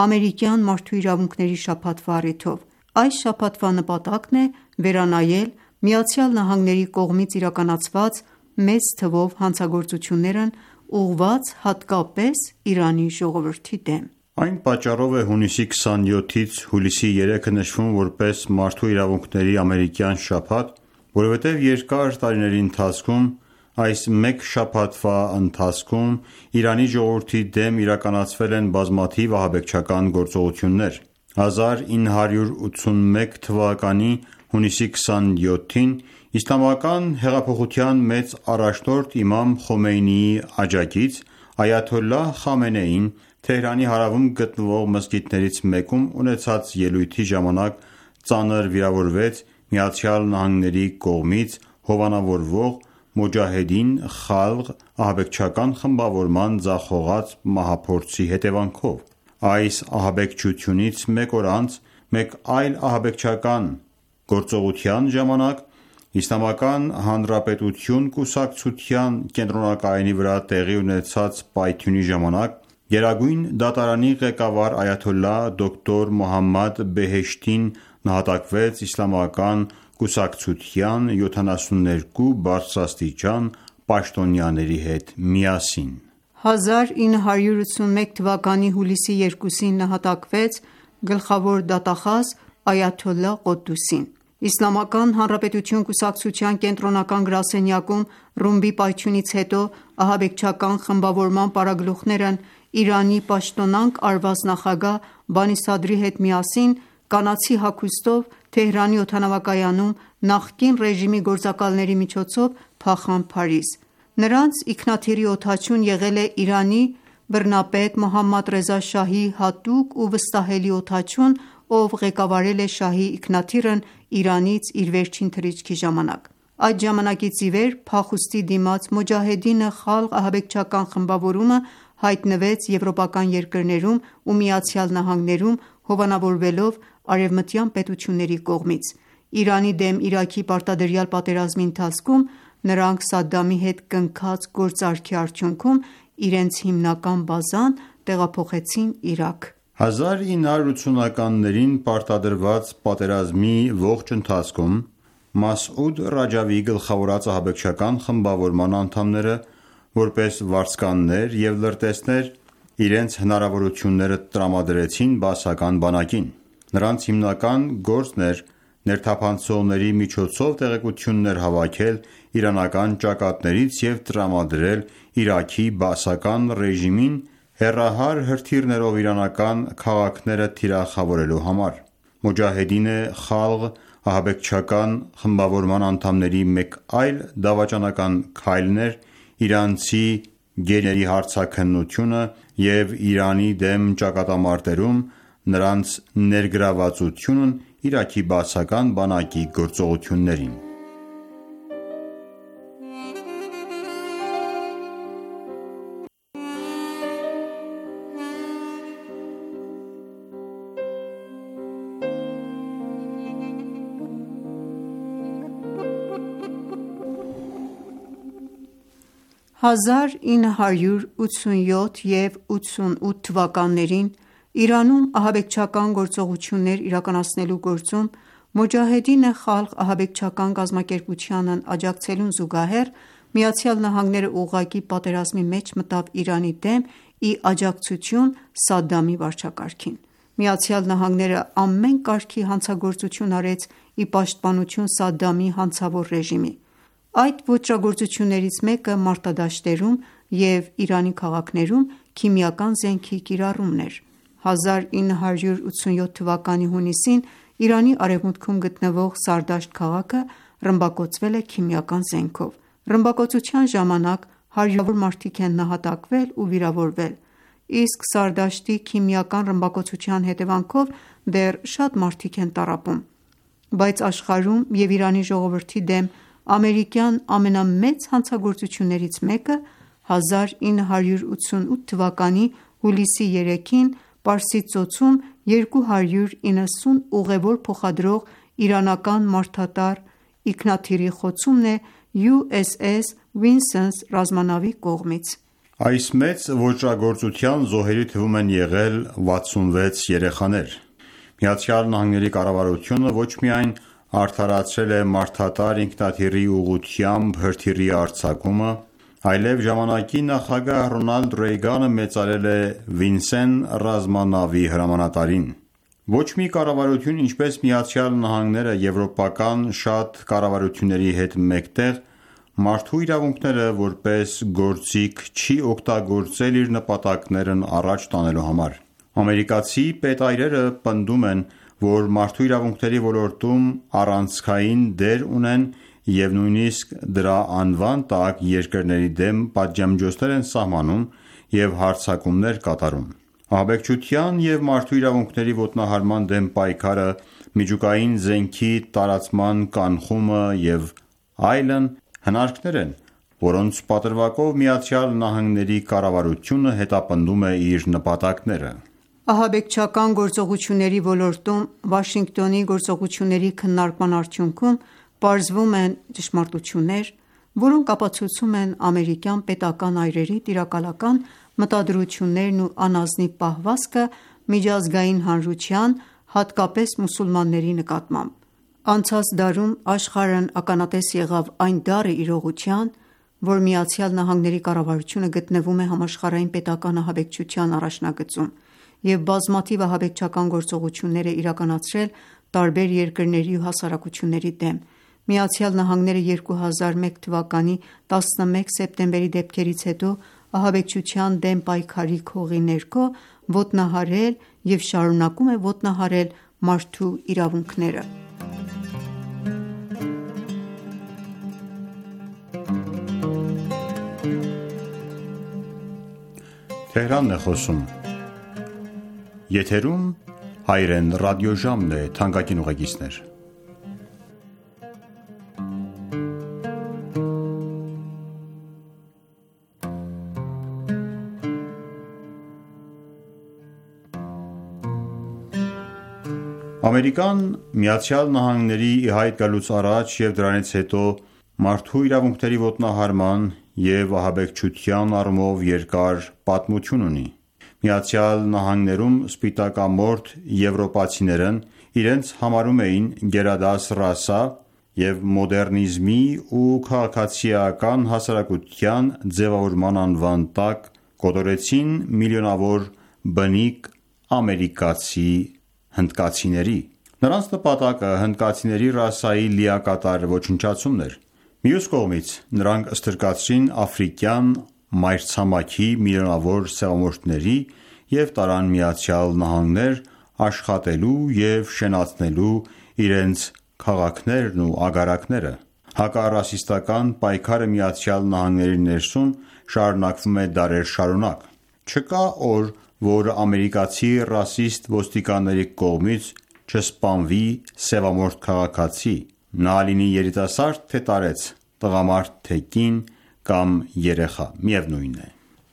ամերիկյան մարդու իրավունքների շաբաթվա առիթով։ Այս շաբաթվա նպատակն է վերանայել ԱՄՆ-ի կողմից իրականացված մեծ թվով հանցագործություններն ուղղված հատկապես Իրանի ժողովրդի դեմ։ Այն պատճառով է հունիսի 27-ից հուլիսի 3-ը նշվում որպես մարդու իրավունքների ամերիկյան շաբաթ, որովհետև երկար տարիների ընթացքում այս մեկ շաբաթվա ընթացքում Իրանի ժողովրդի դեմ իրականացվել են բազմաթիվ ահաբեկչական գործողություններ։ 1981 թվականի հունիսի 27-ին Իսլամական հեղափոխության մեծ առաջնորդ իմամ Խոմեյնիի աջակից այաթոլլահ Խամենեին Թեհրանի հարավում գտնվող մզկիթներից մեկում ունեցած ելույթի ժամանակ ծանր վիրավորվեց ԱՄՆ-ի կողմից հովանավորվող Մոջահեդին Խալղ ահաբեկչական խմբավորման ձախողած մահափորձի հետևանքով։ Այս ահաբեկչությունից մեկ օր անց մեկ այլ ահաբեկչական գործողության ժամանակ Իսլամական Հանրապետություն կուսակցության կենտրոնակայանի վրա տեղի ունեցած պայթյունի ժամանակ Գերագույն դատարանի ղեկավար այաթոլլահ դոկտոր Մոհամմադ Բեհեշտին նահատակվեց իսլամական կուսակցության 72 բարձրաստիճան պաշտոնյաների հետ միասին։ 1981 թվականի հուլիսի 2-ին նահատակվեց գլխավոր դատախազ այաթոլլահ Ղոդդուսին։ Իսլամական Հանրապետություն կուսակցության կենտրոնական գրասենյակում ռումբի պայթյունից հետո ահաբեկչական խմբավորման պարագլուխներն Իրանի պաշտոնանկ արված նախագահ Բանի Սադրի հետ միասին կանացի հագուստով Թեհրանի օդանավակայանում նախկին ռեժիմի գործակալների միջոցով փախան Փարիզ։ Նրանց ինքնաթիռի օդաչուն եղել է Իրանի բռնապետ Մոհամմադ Ռեզա Շահի հատուկ ու վստահելի օդաչուն, ով ղեկավարել է շահի ինքնաթիռն Իրանից իր վերջին թռիչքի ժամանակ։ Այդ ժամանակից ի վեր փախուստի դիմաց Մոջահեդին Խալղ ահաբեկչական խմբավորումը հայտնվեց եվրոպական երկրներում ու ԱՄՆ-ում, հովանավորվելով արևմտյան պետությունների կողմից։ Իրանի դեմ Իրաքի պարտադրյալ պատերազմի ընթացքում նրանք Սադամի հետ կնքած գործարքի արդյունքում իրենց հիմնական բազան տեղափոխեցին Իրաք։ 1980-ականներին պարտադրված պատերազմի ողջ ընթացքում Մասուդ Ռաջավիի գլխավորած ահաբեկչական խմբավորման անդամները որպես վարձկաններ և լրտեսներ իրենց հնարավորությունները տրամադրեցին բաասական բանակին։ Նրանց հիմնական գործն էր ներթափանցողների միջոցով տեղեկություններ հավաքել իրանական ճակատներից և տրամադրել Իրաքի բաասական ռեժիմին հեռահար հրթիռներով իրանական քաղաքները թիրախավորելու համար։ Մոջահեդին Խալղ ահաբեկչական խմբավորման անդամների մեկ այլ դավաճանական քայլն էր իրանցի գերիների հարձակնությունը և Իրանի դեմ ճակատամարտերում նրանց ներգրավվածությունն Իրաքի բաասական բանակի գործողություններին։ «1987 և 1988 թվականներին Իրանում ահաբեկչական գործողություններ իրականացնելու գործում Մոջահեդին Խալղ ահաբեկչական կազմակերպությանն աջակցելուն զուգահեռ ԱՄՆ-ն ուղղակի պատերազմի մեջ մտավ Իրանի դեմ ի աջակցություն Սադամի վարչակարգին։ ԱՄՆ-ն ամեն կարգի հանցագործություն արեց ի պաշտպանություն Սադամի հանցավոր ռեժիմի։ Այդ ոճրագործություններից մեկը մարտադաշտերում և Իրանի քաղաքներում քիմիական զենքի կիրառումն էր։ 1987 թվականի հունիսին Իրանի արևմուտքում գտնվող Սարդաշտ քաղաքը ռմբակոծվել է քիմիական զենքով։ Ռմբակոծության ժամանակ հարյուրավոր մարդիկ են նահատակվել ու վիրավորվել, իսկ Սարդաշտի քիմիական ռմբակոծության հետևանքով դեռ շատ մարդիկ են տառապում։ Բայց աշխարհում և Իրանի ժողովրդի դեմ ամերիկյան ամենամեծ հանցագործություններից մեկը 1988 թվականի հուլիսի 3-ին Պարսից ծոցում 290 ուղեւոր փոխադրող իրանական մարդատար ինքնաթիռի խոցումն է USS Vincennes ռազմանավի կողմից։ Այս մեծ ոճրագործության զոհերի թվում են եղել 66 երեխաներ։ ԱՄՆ կառավարությունը ոչ միայն արդարացրել է մարդատար ինքնաթիռի ուղղությամբ հրթիռի արձակումը, այլև ժամանակի նախագահ Ռոնալդ Ռեյգանը մեծարել է Վինսեն ռազմանավի հրամանատարին։ Ոչ մի կառավարություն, ինչպես ԱՄՆ-ն, եվրոպական շատ կառավարությունների հետ մեկտեղ մարդու իրավունքները որպես գործիք չի օգտագործել իր նպատակներն առաջ տանելու համար։ Ամերիկացի պետայրերը պնդում են, որ մարդու իրավունքների ոլորտում առանցքային դեր ունեն և նույնիսկ դրա անվան տակ երկրների դեմ պատժամիջոցներ են սահմանում և հարձակումներ կատարում։ Ահաբեկչության և մարդու իրավունքների ոտնահարման դեմ պայքարը, միջուկային զենքի տարածման կանխումը և այլն հնարքներ են, որոնց պատրվակով ԱՄՆ կառավարությունը հետապնդում է իր նպատակները։ Ահաբեկչական գործողությունների ոլորտում Վաշինգտոնի գործողությունների քննարկման արդյունքում պարզվում են ճշմարտություններ, որոնք ապացուցում են ամերիկյան պետական այրերի տիրակալական մտադրություններն ու անազնիվ պահվածքը միջազգային հանրության, հատկապես մուսուլմանների նկատմամբ։ Անցած դարում աշխարհն ականատես եղավ այն դառը իրողության, որ ԱՄՆ կառավարությունը գտնվում է համաշխարհային պետական ահաբեկչության առաջնագծում և բազմաթիվ ահաբեկչական գործողություններ է իրականացրել տարբեր երկրների ու հասարակությունների դեմ։ ԱՄՆ-ն 2001 թվականի 11 սեպտեմբերի դեպքերից հետո ահաբեկչության դեմ պայքարի քողի ներքո ոտնահարել և շարունակում է ոտնահարել մարդու իրավունքները։ հայրեն ռադիոժամն է, թանկագին ուղեկիցներ։ Ամերիկան Միացյալ Նահանգների ի հայտ գալուց առաջ և դրանից հետո մարդու իրավունքների ոտնահարման և ահաբեկչության առումով երկար պատմություն ունի։ Միացյալ Նահանգներում սպիտակամորթ եվրոպացիներն իրենց համարում էին գերադաս ռասա և մոդեռնիզմի ու քաղաքացիական հասարակության ձևավորման անվան տակ կոտորեցին միլիոնավոր բնիկ ամերիկացի հնդկացիների։ Նրանց նպատակը հնդկացիների ռասայի լիակատար ոչնչացումն էր։ Մյուս կողմից նրանք ստրկացրին աֆրիկյան մայրցամաքի միլիոնավոր սևամորթների և տարան Միացյալ Նահանգներ աշխատելու և շենացնելու իրենց քաղաքներն ու ագարակները։ Հակառասիստական պայքարը Միացյալ Նահանգների ներսում շարունակվում է դարեր շարունակ։ Չկա օր, որ ամերիկացի ռասիստ ոստիկանների կողմից չսպանվի սևամորթ քաղաքացի, նա լինի երիտասարդ թե տարեց, տղամարդ թե կին կամ երեխա, միևնույն է։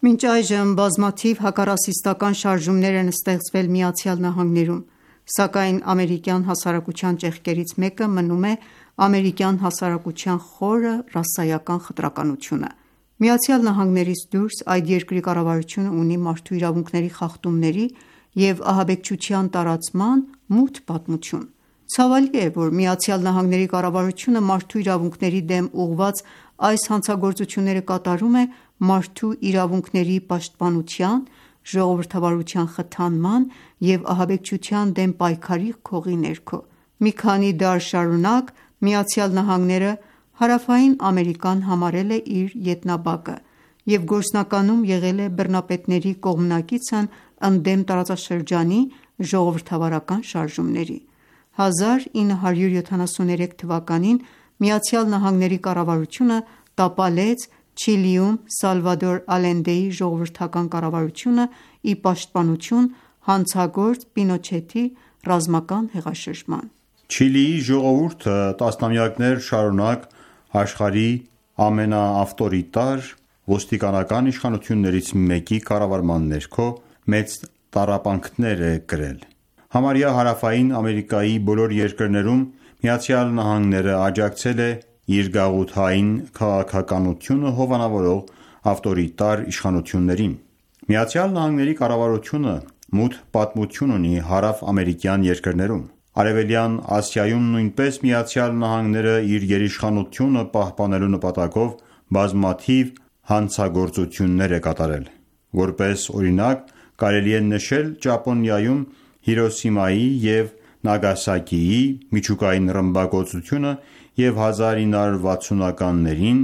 Մինչ այժմ բազմաթիվ հակառասիստական շարժումներ են ստեղծվել Միացյալ Նահանգներում, սակայն ամերիկյան հասարակության ճեղքերից մեկը մնում է ամերիկյան հասարակության խորը ռասայական խտրականությունը։ Միացյալ Նահանգներից դուրս այդ երկրի կառավարությունը ունի մարդու իրավունքների խախտումների և ահաբեկչության տարածման մութ պատմություն։ Ցավալի է, որ Միացյալ Նահանգների կառավարությունը մարդու իրավունքների դեմ ուղղված այս հանցագործությունները կատարում է մարդու իրավունքների պաշտպանության, ժողովրդավարության խթանման և ահաբեկչության դեմ պայքարի քողի ներքո։ Մի քանի դար շարունակ Միացյալ Նահանգները Հարավային Ամերիկան համարել է իր ետնաբակը և գործնականում եղել է բռնապետների կողմնակիցն ընդդեմ տարածաշրջանի ժողովրդավարական շարժումների։ 1973 թվականին Միացյալ Նահանգների կառավարությունը տապալեց Չիլիում Սալվադոր Ալենդեի ժողովրդական կառավարությունը ի պաշտպանություն հանցագործ Պինոչետի ռազմական հեղաշրջման։ Չիլիի ժողովուրդը տասնամյակներ շարունակ աշխարհի ամենաավտորիտար ոստիկանական իշխանություններից մեկի կառավարման ներքո մեծ տառապանքներ է կրել։ Համարյա Հարավային Ամերիկայի բոլոր երկրներում Միացյալ Նահանգները աջակցել է իր գաղութային քաղաքականությունը հովանավորող ավտորիտար իշխանություններին։ Միացյալ Նահանգների կառավարությունը մութ պատմություն ունի հարավ-ամերիկյան երկրներում։ Արևելյան Ասիայում նույնպես Միացյալ Նահանգները իր գերիշխանությունը պահպանելու նպատակով բազմաթիվ հանցագործություններ է կատարել։ Որպես օրինակ կարելի է նշել Ճապոնիայում Հիրոսիմայի և Նագասակիի միջուկային ռմբակոծությունը և 1960-ականներին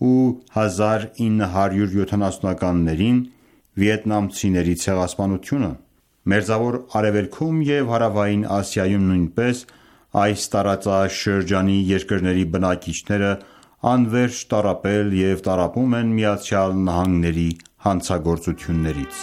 ու 1970-ականներին վիետնամցիների ցեղասպանությունը։ Մերձավոր Արևելքում և Հարավային Ասիայում նույնպես այս տարածաշրջանի երկրների բնակիչները անվերջ տառապել և տառապում են Միացյալ Նահանգների հանցագործություններից։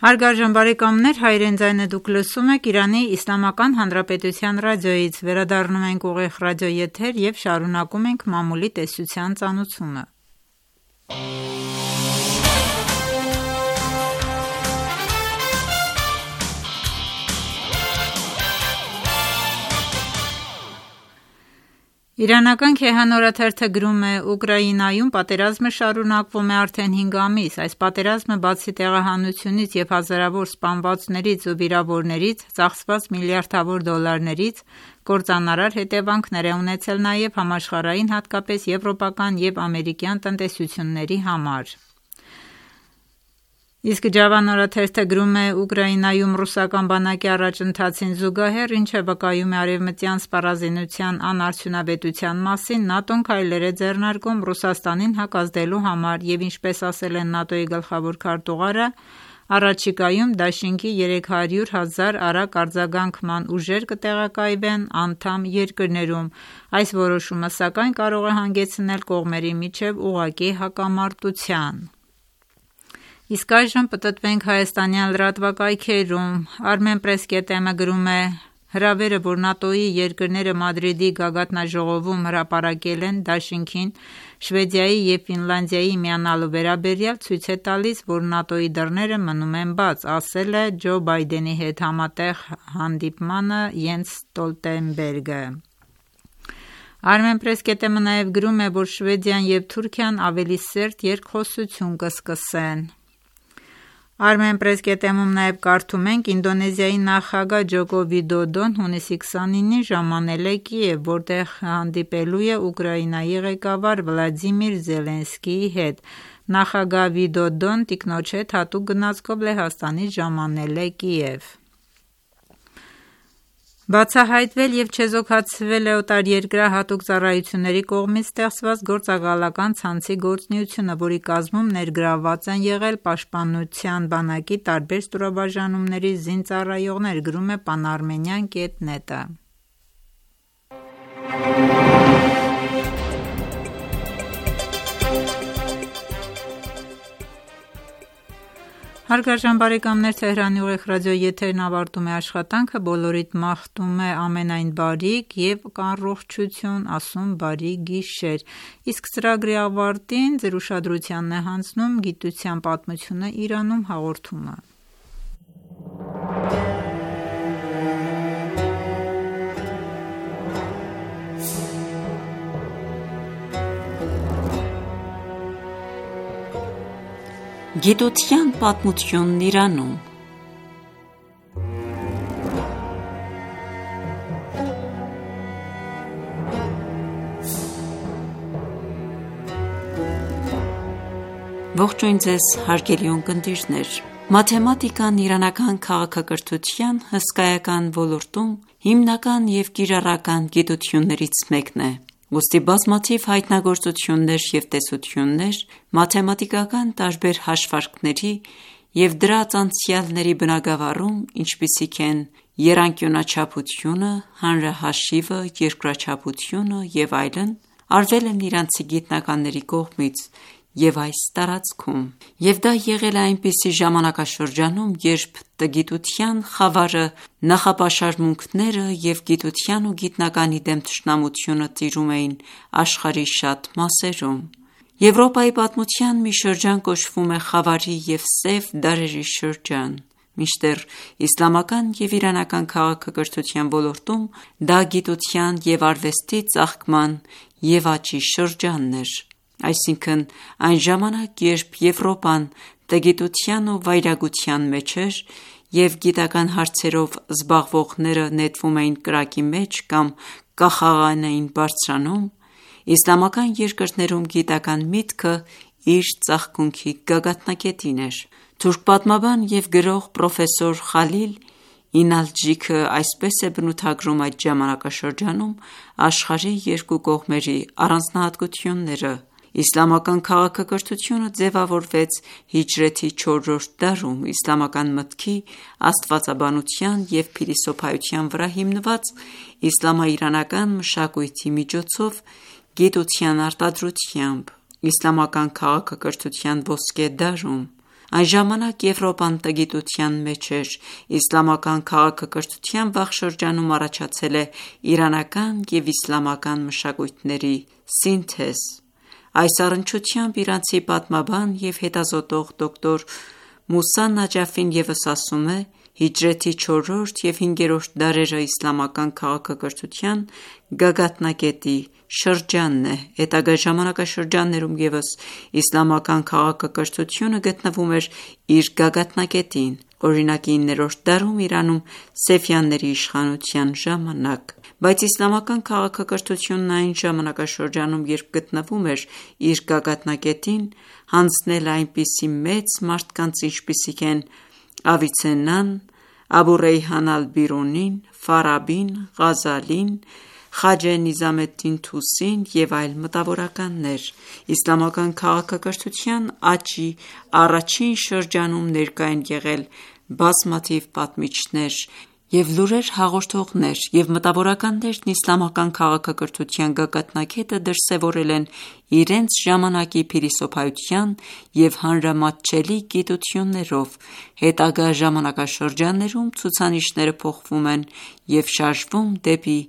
Հարգարժան բարեկամներ, հայրեն ձայնը դուք լսում եք Իրանի Իսլամական Հանրապետության ռադիոյից, վերադառնում ենք ուղիղ ռադիոեթեր և շարունակում ենք մամուլի տեսության ծանոթությունը։ Իրանական Քեհան օրաթերթը գրում է. Ուկրաինայում պատերազմը շարունակվում է արդեն 5 ամիս։ Այս պատերազմը բացի տեղահանությունից և հազարավոր սպանվածներից ու վիրավորներից, ծախսված միլիարդավոր դոլարներից, կործանարար հետևանքներ է ունեցել նաև համաշխարհային, հատկապես եվրոպական և ամերիկյան տնտեսությունների համար։ Իսկ Ջավան օրաթերթը գրում է. Ուկրաինայում ռուսական բանակի առաջընթացին զուգահեռ, ինչը վկայում է արևմտյան սպառազինության անարդյունավետության մասին, ՆԱՏՕ-ն քայլեր է ձեռնարկում Ռուսաստանին հակազդելու համար և ինչպես ասել է ՆԱՏՕ-ի գլխավոր քարտուղարը, Առաջիկայում դաշինքի 300,000 արագ արձագանքման ուժեր կտեղակայվեն անդամ երկրներում։ Այս որոշումը սակայն կարող է հանգեցնել կողմերի միջև ուղղակի հակամարտության։ Իսկ այժմ պտտվենք հայաստանյան լրատվակայքերում։ Armenpress.am-ը գրում է. հրավերը, որ ՆԱՏՕ-ի երկրները Մադրիդի գագաթնաժողովում հրապարակել են դաշինքին Շվեդիայի և Ֆինլանդիայի միանալու վերաբերյալ, ցույց է տալիս, որ ՆԱՏՕ-ի դռները մնում են բաց, ասել է Ջո Բայդենի հետ համատեղ հանդիպմանը Յենս Ստոլտենբերգը։ Armenpress.am-ը նաև գրում է, որ Շվեդիան և Թուրքիան ավելի սերտ երկխոսություն կսկսեն։ Armenpress.am-ում նաև կարդում ենք. Ինդոնեզիայի նախագահ Ջոկո Վիդոդոն հունիսի 29-ին ժամանել է Կիև, որտեղ հանդիպելու է Ուկրաինայի ղեկավար Վլադիմիր Զելենսկիի հետ։ Նախագահ Վիդոդոն տիկնոջ հետ հատուկ գնացքով Լեհաստանից ժամանել է Կիև։ Բացահայտվել և չեզոքացվել է օտարերկրահատուկ ծառայությունների կողմից ստեղծված գործակալական ցանցի գործունեությունը, որի կազմում ներգրավված են եղել Պաշտպանության բանակի տարբեր ստորաբաժանումների զինծառայողներ, գրում է Panarmenian.net-ը։ Հարգարժան բարեկամներ, Թեհրանի ուղիղ ռադիոյի եթերն ավարտում է աշխատանքը, բոլորիդ մաղթում է ամենայն բարիք և առողջություն, ասում բարի գիշեր։ Իսկ ծրագրի ավարտին ձեր ուշադրությանն է հանձնում գիտության պատմությունը Իրանում հաղորդումը։ Գիտության պատմությունն Իրանում։ Ողջույն ձեզ հարգելի ունկնդիրներ։ Մաթեմատիկան իրանական քաղաքակրթության հսկայական ոլորտում հիմնական և կիրառական գիտություններից մեկն է։ Ուստի բազմաթիվ հայտնագործություններ և տեսություններ մաթեմատիկական տարբեր հաշվարկների և դրանց անցյալների բնագավառում, ինչպիսիք են եռանկյունաչափությունը, հանրահաշիվը, երկրաչափությունը և այլն, արվել են իրանցի գիտնականների կողմից և այս տարածքում, և դա եղել է այնպիսի ժամանակաշրջանում, երբ տգիտության խավարը, նախապաշարմունքները և գիտության ու գիտնականի դեմ թշնամությունը տիրում էին աշխարհի շատ մասերում։ Եվրոպայի պատմության մի շրջան կոչվում է խավարի և սև դարերի շրջան, մինչդեռ իսլամական և իրանական քաղաքակրթության ոլորտում դա գիտության և արվեստի ծաղկման և աճի շրջանն էր։ Այսինքն, այն ժամանակ, երբ Եվրոպան տգիտության ու վայրագության մեջ էր և գիտական հարցերով զբաղվողները նետվում էին կրակի մեջ կամ կախաղան էին բարձրանում, իսլամական երկրներում գիտական միտքը իր ծաղկունքի գագաթնակետին էր։ Թուրք պատմաբան և գրող պրոֆեսոր Խալիլ Ինալջիքը այսպես է բնութագրում այդ ժամանակաշրջանում աշխարհի երկու կողմերի առանձնահատկությունները։ Իսլամական քաղաքակրթությունը ձևավորվեց հիջրեթի 4-րդ դարում, իսլամական մտքի, աստվածաբանության և փիլիսոփայության վրա հիմնված իսլամաիրանական մշակույթի միջոցով գիտության արտադրությամբ, իսլամական քաղաքակրթության ոսկե դարում։ Այն ժամանակ Եվրոպան տգիտության մեջ էր, իսլամական քաղաքակրթության վաղ շրջանում առաջացել է իրանական և իսլամական մշակույթների սինթեզ։ Այս առնչությամբ իրանցի պատմաբան և հետազոտող դոկտոր Մուսա Նաջաֆին ևս ասում է. հիջրեթի 4-րդ և 5-րդ դարերը իսլամական քաղաքակրթության գագաթնակետի շրջանն է։ Հետագա ժամանակաշրջաններում ևս իսլամական քաղաքակրթությունը գտնվում էր իր գագաթնակետին, օրինակ 9-րդ դարում Իրանում Սեֆյանների իշխանության ժամանակ։ Բայց իսլամական քաղաքակրթությունն այն ժամանակաշրջանում, երբ գտնվում էր իր գագաթնակետին, հանձնել է այնպիսի մեծ մարդկանց, ինչպիսիք են Ավիցեննան, Աբու Ռեյհան ալ-Բիրունին, Ֆարաբին, Ղազալին, Խաջե Նիզամեդդին Թուսին և այլ մտավորականներ։ Իսլամական քաղաքակրթության աճի առաջին շրջանում ներկա են եղել բազմաթիվ պատմիչներ և լուրեր հաղորդողներ, և մտավորականներն իսլամական քաղաքակրթության գագաթնակետը դրսևորել են իրենց ժամանակի փիլիսոփայության և հանրամատչելի գիտություններով։ Հետագա ժամանակաշրջաններում ցուցանիշները փոխվում են և շարժվում դեպի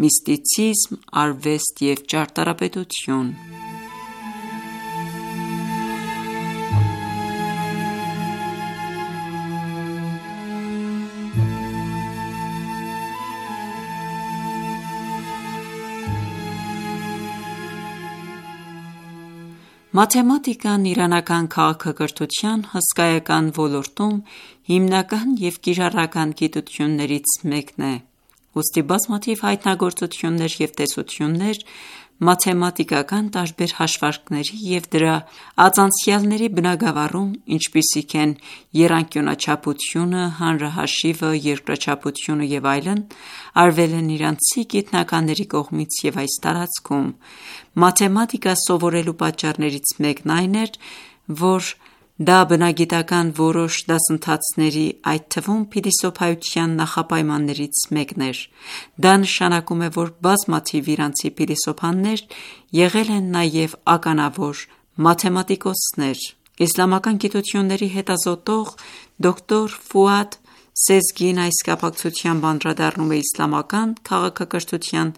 միստիցիզմ, արվեստ և ճարտարապետություն։ Մաթեմատիկան իրանական քաղաքակրթության հսկայական ոլորտում հիմնական և կիրառական գիտություններից մեկն է։ Ուստի բազմաթիվ հայտնագործություններ և տեսություններ մաթեմատիկական տարբեր հաշվարկների և դրա ածանցյալների բնագավառում, ինչպիսիք են եռանկյունաչափությունը, հանրահաշիվը, երկրաչափությունը և այլն, արվել են իրանցի գիտնականների կողմից և այս տարածքում։ Մաթեմատիկա սովորելու պատճառներից մեկն այն էր, որ դա բնագիտական որոշ դասընթացների, այդ թվում փիլիսոփայության նախապայմաններից մեկն էր։ Դա նշանակում է, որ բազմաթիվ իրանցի փիլիսոփաներ եղել են նաև ականավոր մաթեմատիկոսներ։ Իսլամական գիտությունների հետազոտող դոկտոր Ֆուադ Սեզգին այս կապակցությամբ անդրադառնում է իսլամական քաղաքակրթության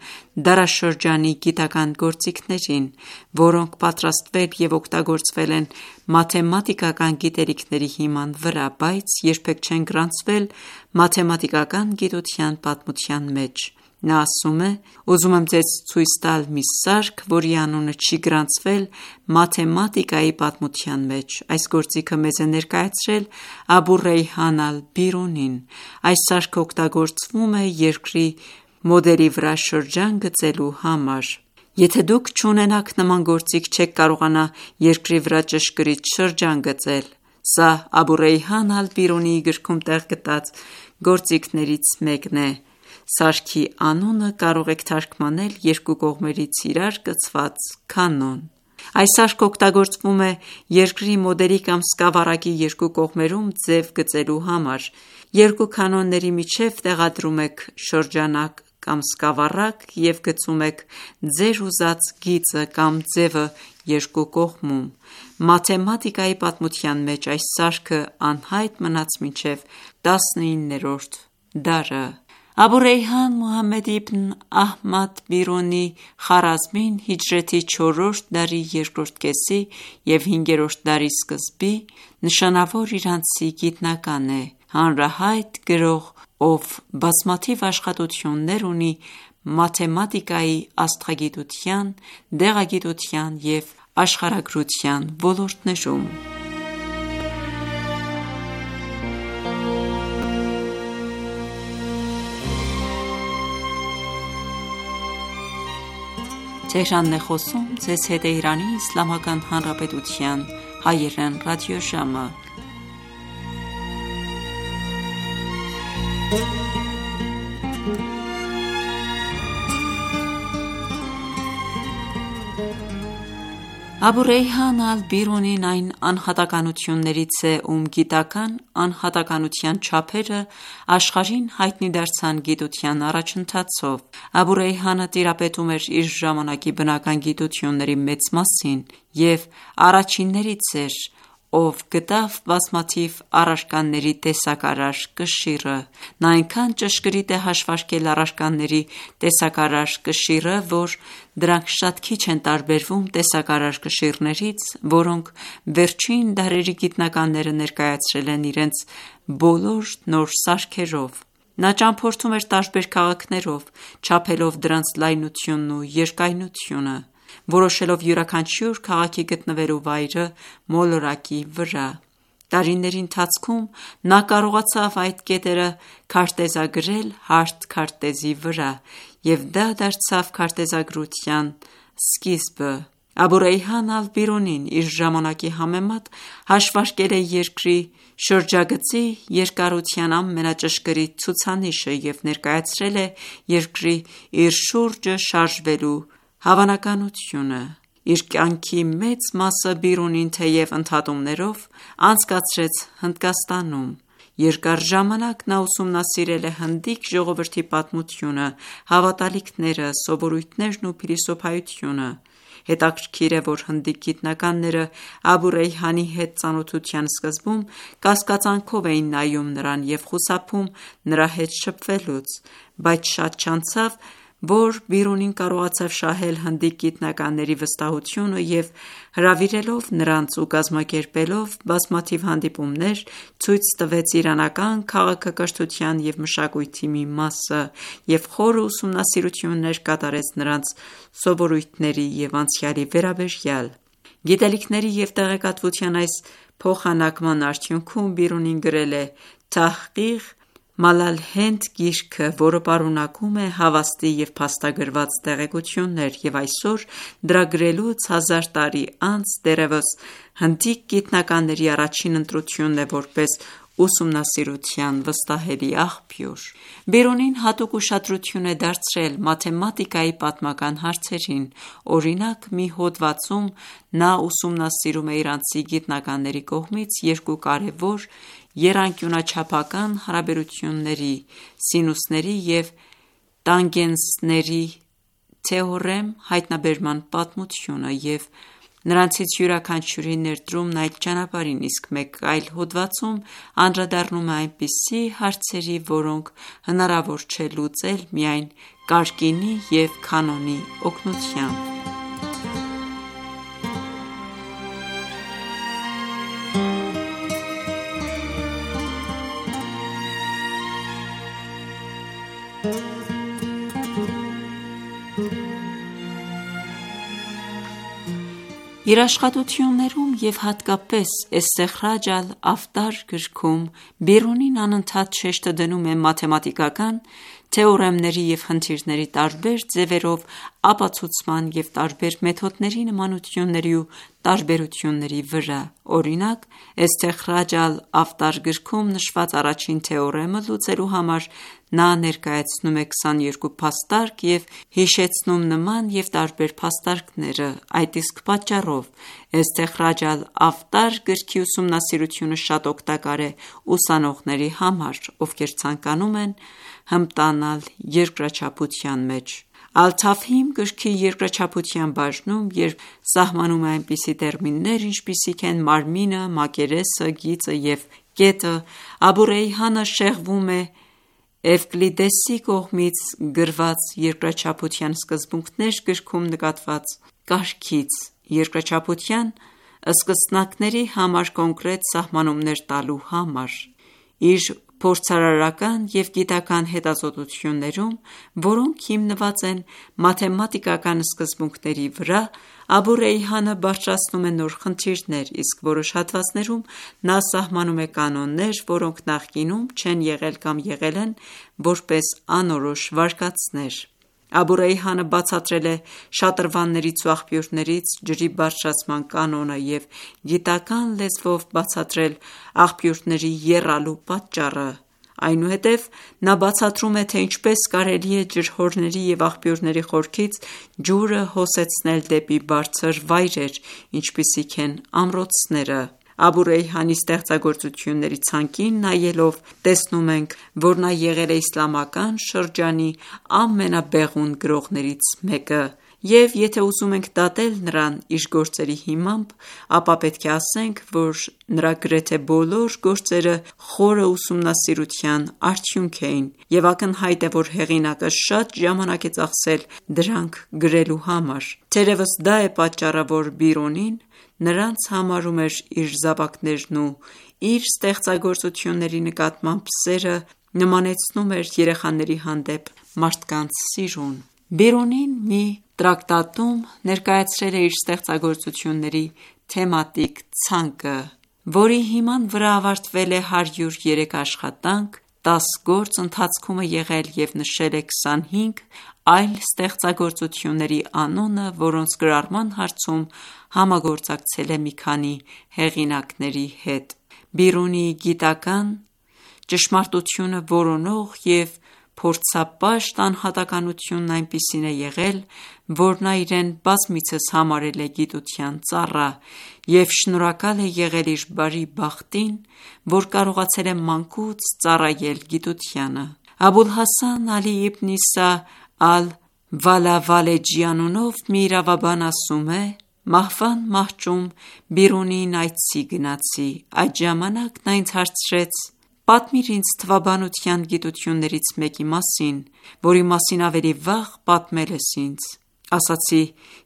դարաշրջանի գիտական գործիքներին, որոնք պատրաստվել և օգտագործվել են մաթեմատիկական գիտելիքների հիման վրա, բայց երբեք չեն գրանցվել մաթեմատիկական գիտության պատմության մեջ։ Նա ասում է. «Ուզում եմ ձեզ ցույց տալ մի սարք, որի անունը չի գրանցվել մաթեմատիկայի պատմության մեջ։ Այս գործիքը մեզ է ներկայացրել Աբու Ռեյհան ալ-Բիրունին։ Այս սարքը օգտագործվում է երկրի մոդելի վրա շրջան գծելու համար։ Եթե դուք չունենաք նման գործիք, չեք կարողանա երկրի վրա ճշգրիտ շրջան գծել։ Սա Աբու Ռեյհան ալ-Բիրունիի գրքում տեղ գտած գործիքներից մեկն է։ Սարքի անունը կարող եք թարգմանել երկու կողմերից իրար կցված կանոն։ Այս սարքը օգտագործվում է երկրի մոդելի կամ սկավառակի երկու կողմերում ձև գծելու համար։ Երկու կանոնների միջև տեղադրում եք շրջանակ կամ սկավառակ և գծում եք ձեր ուզած գիծը կամ ձևը երկու կողմում։ Մաթեմատիկայի պատմության մեջ այս սարքը անհայտ մնաց մինչև 19-րդ դարը։ Աբու Ռեյհան Մուհամմեդ իբն Ահմադ Բիրունի Խարազմին հիջրեթի 4-րդ դարի երկրորդ կեսի և 5-րդ դարի սկզբի նշանավոր իրանցի գիտնական է, հանրահայտ գրող, ով բազմաթիվ աշխատություններ ունի մաթեմատիկայի, աստղագիտության, դեղագիտության և աշխարհագրության ոլորտներում։ Աբու Ռեյհան ալ-Բիրունին այն անհատականություններից է, ում գիտական անհատականության չափերը աշխարհին հայտնի դարձան գիտության առաջընթացով։ Աբու Ռեյհանը տիրապետում էր իր ժամանակի բնական գիտությունների մեծ մասին և առաջիններից էր, ով գտավ բազմաթիվ առարկաների տեսակարար կշիռը։ Նա այնքան ճշգրիտ է հաշվարկել առարկաների տեսակարար կշիռը, որ դրանք շատ քիչ են տարբերվում տեսակարար կշիռներից, որոնք վերջին դարերի գիտնականները ներկայացրել են իրենց բոլոր նոր սարքերով։ Նա ճամփորդում էր տարբեր քաղաքներով, չափելով դրանց լայնությունն ու երկայնությունը, որոշելով յուրաքանչյուր քաղաքի գտնվելու վայրը մոլորակի վրա։ Տարիների ընթացքում նա կարողացավ այդ կետերը քարտեզագրել հարթ քարտեզի վրա, և դա դարձավ քարտեզագրության սկիզբը։ Աբու Ռեյհան ալ-Բիրունին իր ժամանակի համեմատ հաշվարկել է երկրի շրջագծի երկարության ամենաճշգրիտ ցուցանիշը և ներկայացրել է երկրի իր շուրջը շարժվելու հավանականությունը։ Իր կյանքի մեծ մասը Բիրունին, թեև ընդհատումներով, անցկացրեց Հնդկաստանում։ Երկար ժամանակ նա ուսումնասիրել է հնդիկ ժողովրդի պատմությունը, հավատալիքները, սովորույթներն ու փիլիսոփայությունը։ Հետաքրքիր է, որ հնդիկ գիտնականները Աբու Ռեյհանի հետ ծանոթության սկզբում կասկածանքով էին նայում նրան և խուսափում նրա հետ շփվելուց, բայց շատ չանցավ, որ Բիրունին կարողացավ շահել հնդիկ գիտնականների վստահությունը և հրավիրելով նրանց ու կազմակերպելով բազմաթիվ հանդիպումներ, ցույց տվեց իրանական քաղաքակրթության և մշակույթի մի մասը և խորը ուսումնասիրություններ կատարեց նրանց սովորույթների և անցյալի վերաբերյալ։ Գիտելիքների և տեղեկատվության այս փոխանակման արդյունքում Բիրունին գրել է «Թահղիղ Մալալհենդ» գիրքը, որը պարունակում է հավաստի և փաստագրված տեղեկություններ, և այսօր դրա գրելուց 1000 տարի անց դեռևս հնդիկ գիտնականների առաջին ընտրությունն է որպես ուսումնասիրության վստահելի աղբյուր։ Բիրունին հատուկ ուշադրություն է դարձրել մաթեմատիկայի պատմական հարցերին։ Օրինակ, մի հոդվածում նա ուսումնասիրում է իրանցի գիտնականների կողմից երկու կարևոր եռանկյունաչափական հարաբերությունների՝ սինուսների և տանգենսների թեորեմ հայտնաբերման պատմությունը և նրանցից յուրաքանչյուրի ներդրումն այդ ճանապարհին, իսկ մեկ այլ հոդվածում անդրադառնում է այնպիսի հարցերի, որոնք հնարավոր չէ լուծել միայն կարկինի և կանոնի օգնությամբ։ Իր աշխատություններում և հատկապես «Էստեխրաջ ալ-Աֆտար» գրքում Բիրունին անընդհատ շեշտը դնում է մաթեմատիկական թեորեմների և խնդիրների տարբեր ձևերով ապացուցման և տարբեր մեթոդների նմանությունների ու տարբերությունների վրա։ Օրինակ, «Էստեխրաջ ալ-Աֆտար» գրքում նշված առաջին թեորեմը լուծելու համար նա ներկայացնում է 22 փաստարկ և հիշեցնում նման և տարբեր փաստարկները։ Այդ իսկ պատճառով «Էստեխրաջ ալ-Աֆտար» գրքի ուսումնասիրությունը շատ օգտակար է ուսանողների համար, ովքեր ցանկանում են հմտանալ երկրաչափության մեջ։ «Ալ-Թաֆհիմ» գրքի երկրաչափության բաժնում, երբ սահմանում է այնպիսի տերմիններ, ինչպիսիք են մարմինը, մակերեսը, գիծը և կետը, Աբու Ռեյհանը շեղվում է Էվկլիդեսի կողմից գրված «Երկրաչափության սկզբունքներ» գրքում նկատված կարգից՝ երկրաչափության սկսնակների համար կոնկրետ սահմանումներ տալու համար։ Իր փորձարարական և գիտական հետազոտություններում, որոնք հիմնված են մաթեմատիկական սկզբունքների վրա, Աբու Ռեյհանը բարձրացնում է նոր խնդիրներ, իսկ որոշ հատվածներում նա սահմանում է կանոններ, որոնք նախկինում չեն եղել կամ եղել են որպես անորոշ վարկածներ։ Աբու Ռեյհանը բացատրել է շատրվաններից ու աղբյուրներից ջրի բարձրացման կանոնը և գիտական լեզվով բացատրել աղբյուրների եռալու պատճառը։ Այնուհետև նա բացատրում է, թե ինչպես կարելի է ջրհորների և աղբյուրների խորքից ջուրը հոսեցնել դեպի բարձր վայրեր, ինչպիսիք են ամրոցները։ Աբու Ռեյհանի ստեղծագործությունների ցանկին նայելով տեսնում ենք, որ նա եղել է իսլամական շրջանի ամենաբեղուն գրողներից մեկը, և եթե ուզում ենք դատել նրան իր գործերի հիմամբ, ապա պետք է ասենք, որ նրա գրեթե բոլոր գործերը խորը ուսումնասիրության արդյունք էին, և ակնհայտ է, որ հեղինակը շատ ժամանակ է ծախսել դրանք գրելու համար։ Թերևս դա է պատճառը, որ Բիրունին նրանց համարում էր իր զավակներն ու իր ստեղծագործությունների նկատմամբ սերը նմանեցնում էր երեխաների հանդեպ մարդկանց սիրուն։ Բիրունին մի տրակտատում ներկայացրել է իր ստեղծագործությունների թեմատիկ ցանկը, որի հիման վրա ավարտվել է 103 աշխատանք, 10 գործ ընթացքում է եղել և նշել է 25 այլ ստեղծագործությունների անունը, որոնց գրառման հարցում համագործակցել է մի քանի հեղինակների հետ։ Բիրունիի գիտական, ճշմարտությունը որոնող և փորձապաշտ անհատականությունն այնպիսին է եղել, որ նա իրեն բազմիցս համարել է գիտության ծառա և շնորհակալ է եղել իր բարի բախտին, որ կարողացել է մանկուց ծառայել գիտությանը։ Աբուլ Հասան Ալի իբն Իսա Ալ-Վալավալեջի անունով մի իրավաբան ասում է. «Մահվան մահճում Բիրունիին այցի գնացի, այդ ժամանակ նա ինձ հարցրեց. «Պատմիր ինձ թվաբանության գիտություններից մեկի մասին, որի մասին ավելի վաղ պատմել ես ինձ»։ Ասացի.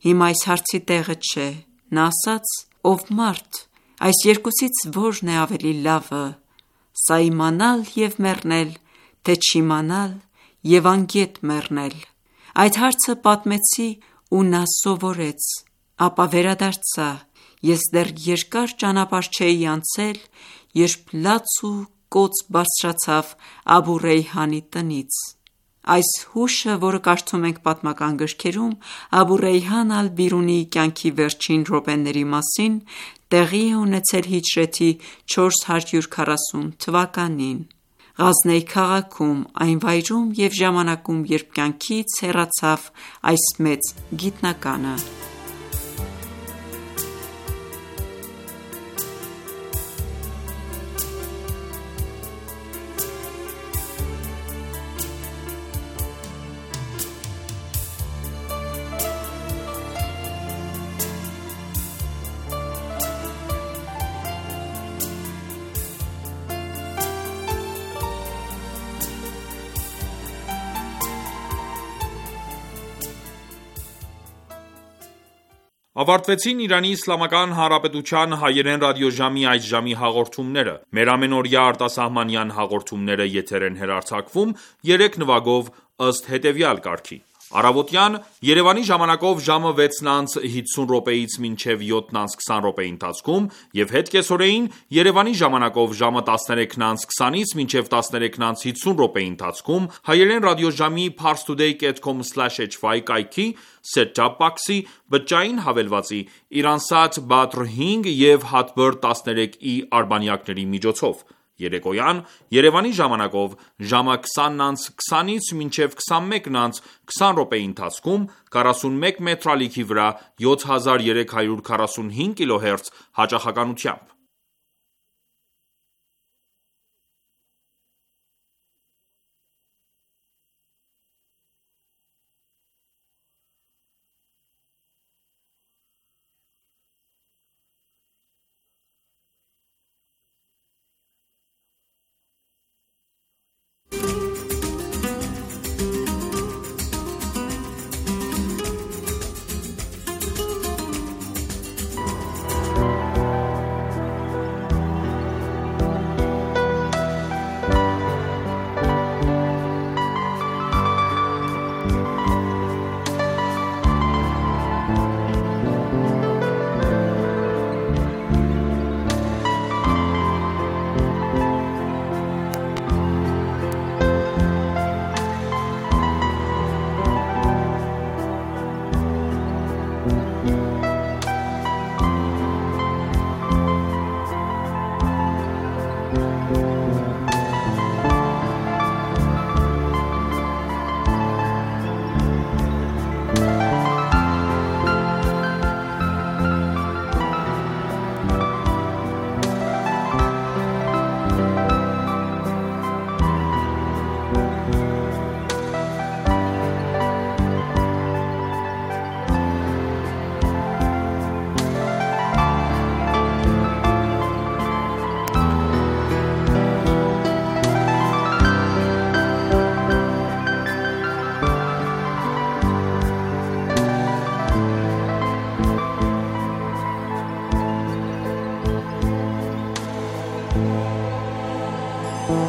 «Հիմա այս հարցի տեղը չէ»։ Նա ասաց. «Ով մարդ, այս երկուսից որն է ավելի լավը, սա իմանալ և մեռնել, թե չիմանալ և անգետ մեռնել»։ Այդ հարցը պատմեցի ու նա սովորեց, ապա վերադարձա։ Ես դեռ երկար ճանապարհ չէի անցել, երբ լաց ու կոծ բարձրացավ Աբու Ռեյհանի տնից։ Այս հուշը, որը կարդում ենք պատմական գրքերում, Աբու Ռեյհան Ալ-Բիրունիի կյանքի վերջին րոպեների մասին, տեղի է ունեցել հիջրեթի 440 թվականին Ղազնեի քաղաքում, այն վայրում և ժամանակում, երբ կյանքից հեռացավ այս մեծ գիտնականը։ Ավարտվեցին Իրանի Իսլամական Հանրապետության հայերեն ռադիոժամի այս ժամի հաղորդումները։ Մեր ամենօրյա արտասահմանյան հաղորդումները եթեր են հեռարձակվում 3 նվագով ըստ հետևյալ կարգի. Առավոտյան Երևանի ժամանակով ժամը 6:50-ից մինչև 7:20 ընթացքում եւ հետ կեսօրեին Երևանի ժամանակով ժամը 13:20-ից մինչև 13:50 ընթացքում հայերեն ռադիոժամի parstoday.com/hy կայքի set-top box-ի բջջային հավելվածի Iransat Badr 5 եւ Hotbird 13e արբանյակների միջոցով։ Երեկոյան Երևանի ժամանակով ժամը 20:20-ից մինչև 21:20 ընթացքում 41 մետրալիքի վրա 7345 kHz հաճախականությամբ։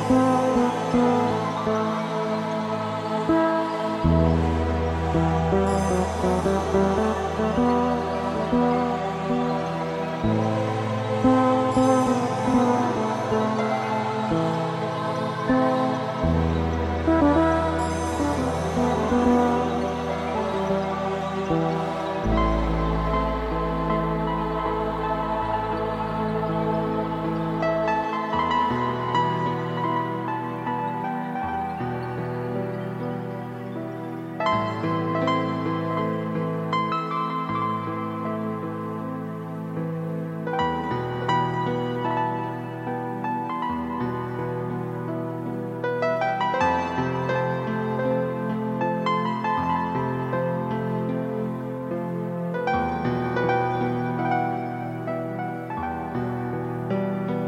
Thank you.